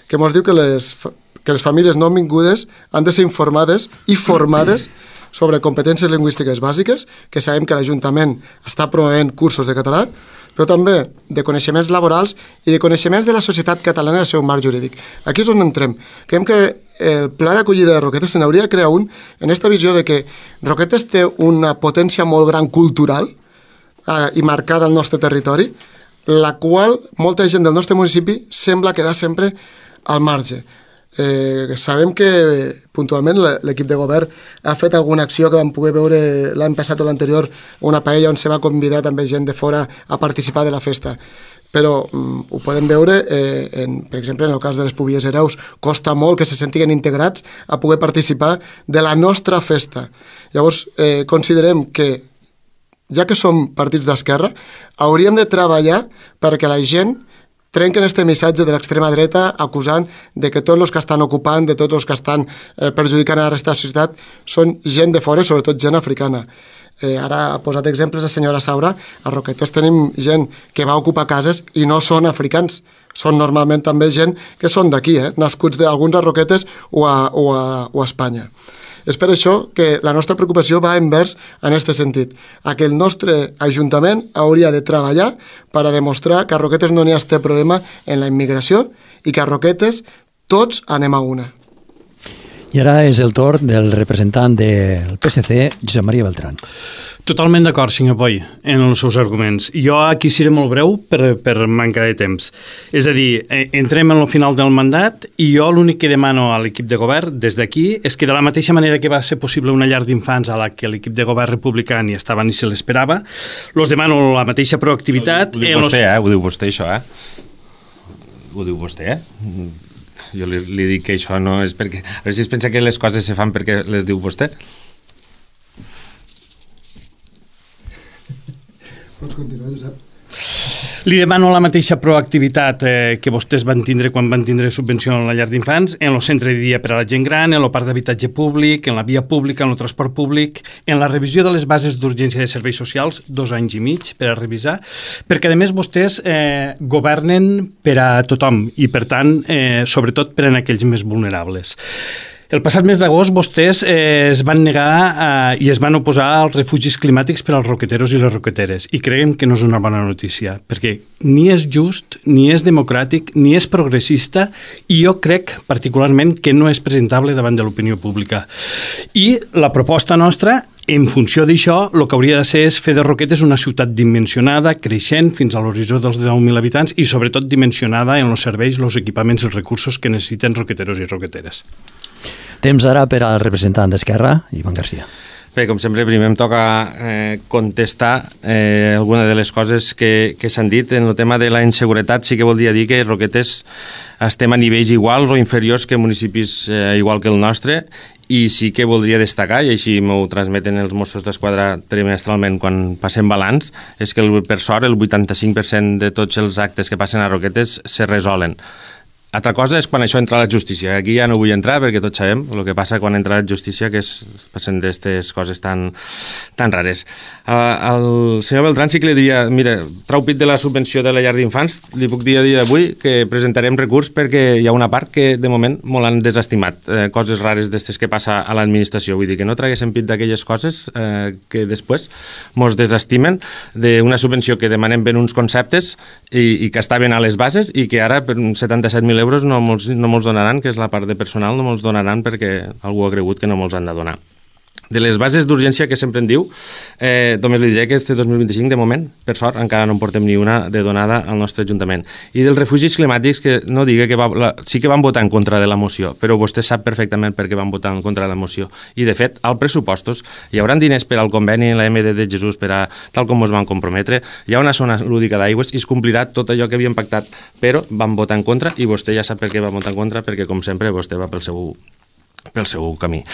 que ens diu que les famílies no vingudes han de ser informades i formades sobre competències lingüístiques bàsiques, que sabem que l'Ajuntament està promovent cursos de català, però també de coneixements laborals i de coneixements de la societat catalana i el seu marc jurídic. Aquí és on entrem. Creiem que el pla d'acollida de Roquetes se n'hauria de crear un en aquesta visió de que Roquetes té una potència molt gran cultural i marcada al nostre territori, la qual molta gent del nostre municipi sembla quedar sempre al marge. Sabem que puntualment l'equip de govern ha fet alguna acció que vam poder veure l'any passat o l'anterior, una paella on se va convidar també gent de fora a participar de la festa, però ho podem veure per exemple en el cas de les Pubies Hereus, costa molt que se sentiguen integrats a poder participar de la nostra festa. Llavors considerem que ja que som partits d'esquerra hauríem de treballar perquè la gent trenquen este missatge de l'extrema dreta acusant de que tots els que estan ocupant, de tots els que estan perjudicant a la resta de la societat són gent de fora, sobretot gent africana. Ara ha posat exemples la senyora Saura. A Roquetes tenim gent que va ocupar cases i no són africans, són normalment també gent que són d'aquí, nascuts d'alguns a Roquetes o a Espanya. És per això que la nostra preocupació va envers en aquest sentit, a que el nostre Ajuntament hauria de treballar per a demostrar que a Roquetes no n'hi ha este problema en la immigració i que a Roquetes tots anem a una. I ara és el torn del representant del PSC, Josep Maria Beltrán. Totalment d'acord, senyor Poi, en els seus arguments. Jo aquí seré molt breu per manca de temps. És a dir, entrem en el final del mandat i jo l'únic que demano a l'equip de govern des d'aquí és que de la mateixa manera que va ser possible una llar d'infants a la que l'equip de govern republicà ni estava ni se l'esperava, els demano la mateixa proactivitat... Ho diu vostè, això, Ho diu vostè, Jo li dic que això no és perquè... A veure si es pensa que les coses se fan perquè les diu vostè. Pots continuar, Josep. Li demano la mateixa proactivitat que vostès van tindre quan van tindre subvenció en la llar d'infants, en el centre de dia per a la gent gran, en el parc d'habitatge públic, en la via pública, en el transport públic, en la revisió de les bases d'urgència de serveis socials, 2 anys i mig per a revisar, perquè a més vostès governen per a tothom i per tant, sobretot per a aquells més vulnerables. El passat mes d'agost vostès es van negar i es van oposar als refugis climàtics per als roqueteros i les roqueteres i creiem que no és una bona notícia perquè ni és just, ni és democràtic, ni és progressista i jo crec particularment que no és presentable davant de l'opinió pública. I la proposta nostra, en funció d'això, el que hauria de ser és fer de Roquetes una ciutat dimensionada, creixent fins a l'horitzó dels 10.000 habitants i sobretot dimensionada en els serveis, els equipaments i els recursos que necessiten roqueteros i roqueteres. Temps ara per al representant d'Esquerra, Ivan García. Bé, com sempre, primer em toca contestar alguna de les coses que s'han dit. En el tema de la inseguretat sí que voldria dir que Roquetes estem a nivells iguals o inferiors que municipis igual que el nostre i sí que voldria destacar, i així m'ho transmeten els Mossos d'Esquadra trimestralment quan passem balanç, és que per sort el 85% de tots els actes que passen a Roquetes se resolen. Altra cosa és quan això entra a la justícia. Aquí ja no vull entrar perquè tots sabem el que passa quan entra a la justícia, que passen d'aquestes coses tan rares. Al senyor Beltrán sí que li diria, mira, trau pit de la subvenció de la llar d'infants, li puc dir a dia d'avui que presentarem recurs perquè hi ha una part que de moment molt han desestimat, coses rares d'aquestes que passa a l'administració. Vull dir que no traguéssim pit d'aquelles coses que després mos desestimen d'una subvenció que demanem ben uns conceptes i que estaven a les bases i que ara per 77.000 euros no molts donaran, que és la part de personal, no molts donaran perquè algú ha cregut que no molts han de donar. De les bases d'urgència que sempre en diu, només li diré que este 2025, de moment, per sort, encara no en portem ni una de donada al nostre Ajuntament. I dels refugis climàtics, que no digui que sí que van votar en contra de la moció, però vostè sap perfectament per què van votar en contra de la moció. I, de fet, als pressupostos hi haurà diners per al conveni en la MD de Jesús, tal com ens van comprometre, hi ha una zona lúdica d'aigües i es complirà tot allò que havien pactat, però van votar en contra i vostè ja sap per què va votar en contra, perquè, com sempre, vostè va pel seu camí.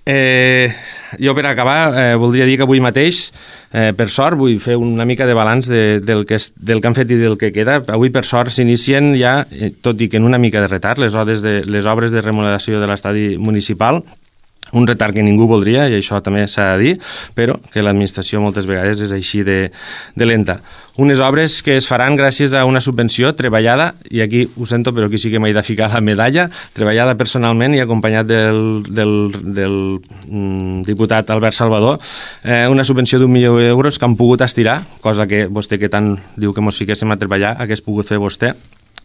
Jo per acabar voldria dir que avui mateix per sort vull fer una mica de balanç del que han fet i del que queda. Avui per sort s'inicien ja, tot i que en una mica de retard, les obres de remodelació de l'estadi municipal, un retard que ningú voldria, i això també s'ha de dir, però que l'administració moltes vegades és així de lenta. Unes obres que es faran gràcies a una subvenció treballada, i aquí ho sento, però aquí sí que m'he de ficar la medalla, treballada personalment i acompanyat del diputat Albert Salvador, una subvenció d'1 milió d'euros que han pogut estirar, cosa que vostè que tant diu que ens fiquéssim a treballar, hagués pogut fer vostè,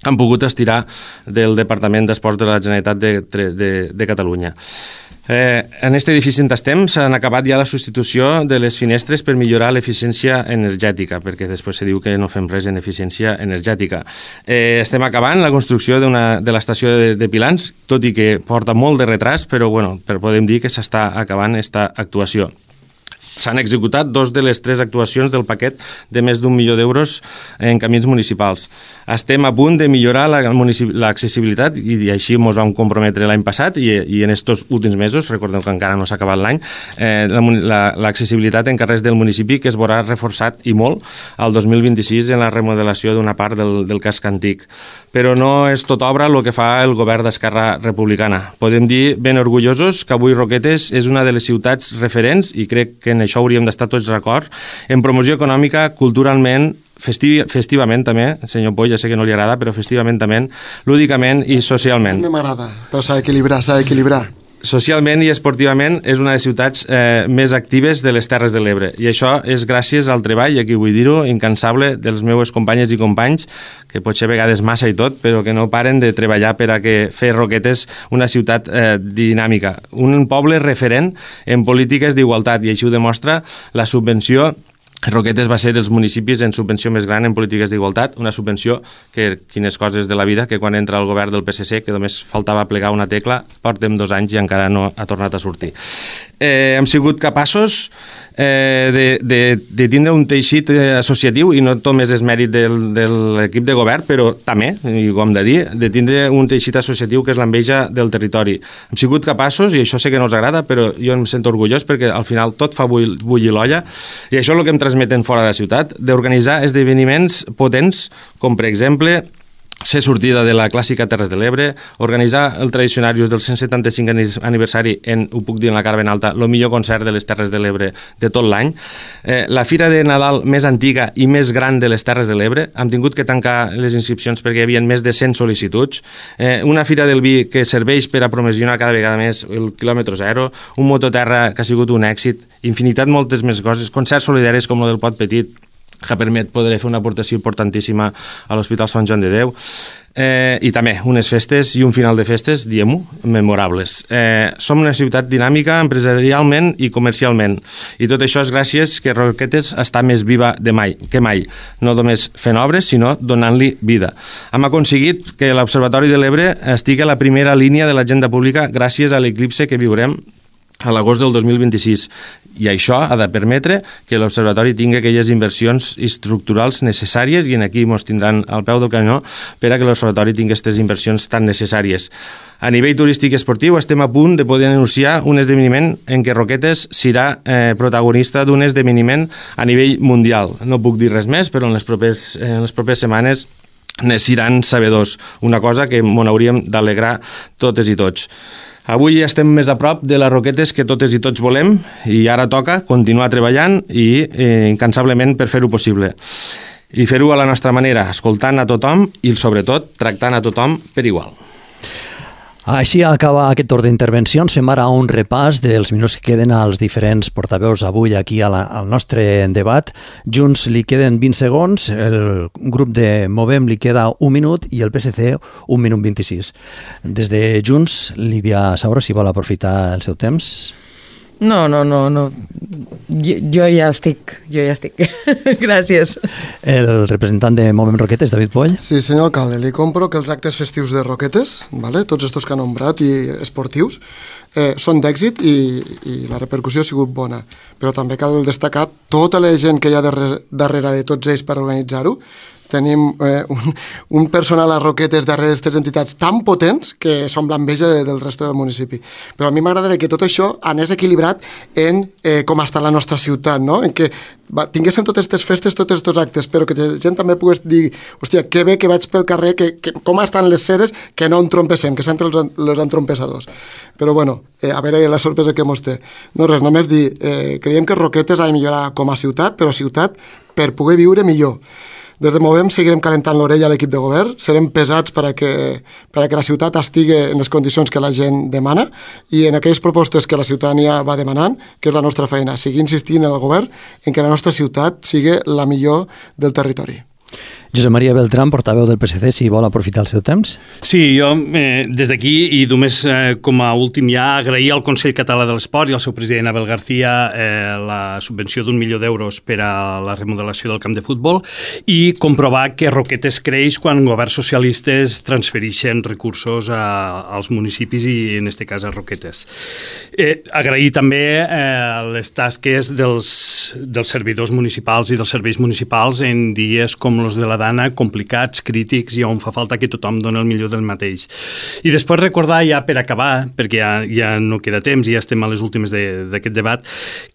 han pogut estirar del Departament d'Esports de la Generalitat de Catalunya. En aquest edifici on estem s'han acabat ja la substitució de les finestres per millorar l'eficiència energètica, perquè després se diu que no fem res en eficiència energètica. Estem acabant la construcció de l'estació de Pilans, tot i que porta molt de retras, però podem dir que s'està acabant aquesta actuació. S'han executat 2 de les 3 actuacions del paquet de més d'1 milió d'euros en camins municipals. Estem a punt de millorar l'accessibilitat i així ens vam comprometre l'any passat i en estos últims mesos, recordem que encara no s'ha acabat l'any, l'accessibilitat en carrers del municipi que es veurà reforçat i molt al 2026 en la remodelació d'una part del casc antic. Però no és tot obra el que fa el govern d'Esquerra Republicana. Podem dir ben orgullosos que avui Roquetes és una de les ciutats referents, i crec que en això hauríem d'estar tots d'acord, en promoció econòmica, culturalment, festivament també, senyor Poll, ja sé que no li agrada, però festivament també, lúdicament i socialment. A mi m'agrada, però s'ha d'equilibrar. Socialment i esportivament és una de les ciutats més actives de les Terres de l'Ebre, i això és gràcies al treball, i aquí vull dir-ho, incansable dels meus companyes i companys, que potser a vegades massa i tot, però que no paren de treballar per a que fer Roquetes una ciutat dinàmica, un poble referent en polítiques d'igualtat, i així ho demostra la subvenció. Roquetes va ser dels municipis en subvenció més gran en polítiques d'igualtat, una subvenció que, quines coses de la vida, que quan entra el govern del PSC, que només faltava plegar una tecla, portem 2 anys i encara no ha tornat a sortir. Hem sigut capaços de tindre un teixit associatiu, i no només és mèrit de l'equip de govern, però també, i ho hem de dir, de tindre un teixit associatiu que és l'enveja del territori. Hem sigut capaços, i això sé que no els agrada, però jo em sento orgullós perquè al final tot fa bullir l'olla, i això és el que em transmeten fora de la ciutat, d'organitzar esdeveniments potents, com per exemple ser sortida de la clàssica Terres de l'Ebre, organitzar el Tradicionarius del 175 aniversari ho puc dir en la cara ben alta, el millor concert de les Terres de l'Ebre de tot l'any, la Fira de Nadal més antiga i més gran de les Terres de l'Ebre, hem tingut que tancar les inscripcions perquè hi havia més de 100 sol·licituds, una Fira del Vi que serveix per a promocionar cada vegada més el quilòmetre zero, un mototerra que ha sigut un èxit, infinitat moltes més coses, concerts solidaris com el del Pot Petit, que permet poder fer una aportació importantíssima a l'Hospital Sant Joan de Déu, i també unes festes i un final de festes, diguem-ho, memorables. Som una ciutat dinàmica empresarialment i comercialment, i tot això és gràcies que Roquetes està més viva que mai, no només fent obres, sinó donant-li vida. Hem aconseguit que l'Observatori de l'Ebre estigui a la primera línia de l'agenda pública gràcies a l'eclipse que viurem a l'agost del 2026, i això ha de permetre que l'Observatori tingui aquelles inversions estructurals necessàries, i aquí ens tindran al peu del canyó per a que l'Observatori tingui aquestes inversions tan necessàries. A nivell turístic i esportiu estem a punt de poder anunciar un esdeveniment en què Roquetes serà protagonista d'un esdeveniment a nivell mundial. No puc dir res més, però en les properes setmanes ne seran sabedors, una cosa que m'ho hauríem d'alegrar totes i tots. Avui estem més a prop de les Roquetes que totes i tots volem, i ara toca continuar treballant i incansablement per fer-ho possible. I fer-ho a la nostra manera, escoltant a tothom i, sobretot, tractant a tothom per igual. Així acaba aquest torn d'intervencions. Fem ara un repàs dels minuts que queden als diferents portaveus avui aquí al nostre debat. Junts li queden 20 segons, el grup de Movem li queda 1 minut i el PSC 1 minut 26. Des de Junts, Lídia Saura, si vol aprofitar el seu temps. No. Jo ja estic. Gràcies. El representant de Movem Roquetes, David Poll. Sí, senyor alcalde, li compro que els actes festius de Roquetes, ¿vale? Tots estos que ha nombrat i esportius, són d'èxit i la repercussió ha sigut bona. Però també cal destacar tota la gent que hi ha darrere de tots ells per organitzar-ho. Tenim un personal a Roquetes darrere d'aquestes entitats tan potents que som l'enveja del resto del municipi. Però a mi m'agradaria que tot això anés equilibrat en com està la nostra ciutat, no? En què tinguéssim totes aquestes festes, tots aquests actes, però que la gent també pogués dir, hòstia, que bé que vaig pel carrer, que com estan les ceres, que no entrompessem, que s'entren els entrompessadors. Però bueno, a veure la sorpresa que mos té. No res, només dir, creiem que Roquetes ha de millorar com a ciutat, però ciutat per poder viure millor. Des de Movem seguirem calentant l'orella a l'equip de govern, serem pesats per a que la ciutat estigui en les condicions que la gent demana i en aquelles propostes que la ciutadania va demanant, que és la nostra feina, seguir insistint en el govern en que la nostra ciutat sigui la millor del territori. Josep Maria Beltrán, portaveu del PSC, si vol aprofitar el seu temps. Sí, jo des d'aquí, i només com a últim ja, agrair al Consell Català de l'Esport i al seu president Abel García la subvenció d'1 milió d'euros per a la remodelació del camp de futbol i comprovar que Roquetes creix quan governs socialistes transfereixen recursos als municipis i en aquest cas a Roquetes. Agrair també les tasques dels servidors municipals i dels serveis municipals en dies com els de la Dana, complicats, crítics i on fa falta que tothom doni el millor del mateix. I després recordar ja per acabar, perquè ja no queda temps i ja estem a les últimes d'aquest debat,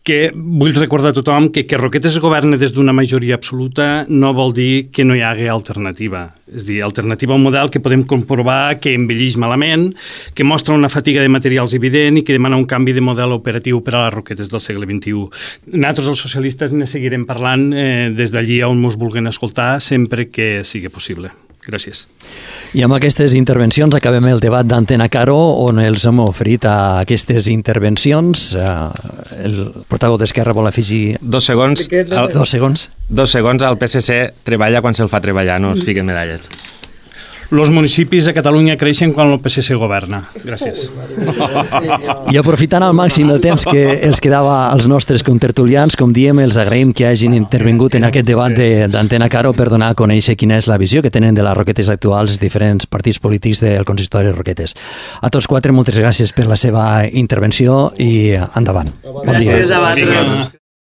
que vull recordar a tothom que Roquetes es governa des d'una majoria absoluta no vol dir que no hi hagi alternativa. És a dir, alternativa a un model que podem comprovar que envelleix malament, que mostra una fatiga de materials evident i que demana un canvi de model operatiu per a les Roquetes del segle XXI. Nosaltres, els socialistes, ne seguirem parlant des d'allí on ens vulguin escoltar sempre que sigui possible. Gràcies. I amb aquestes intervencions acabem el debat d'Antena Caro, on els hem oferit a aquestes intervencions. El portaveu d'Esquerra vol afegir... 2 segons. 2 segons. 2 segons, el PSC treballa quan se'l fa treballar, no es fiquen medalles. Els municipis de Catalunya creixen quan el PSC governa. Gràcies. I aprofitant al màxim el temps que els quedava als nostres contertulians, com diem, els agraïm que hagin intervingut en aquest debat d'Antena Caro per donar a conèixer quina és la visió que tenen de les Roquetes actuals diferents partits polítics del consistori de Roquetes. A tots 4, moltes gràcies per la seva intervenció i endavant. Gràcies a vosaltres.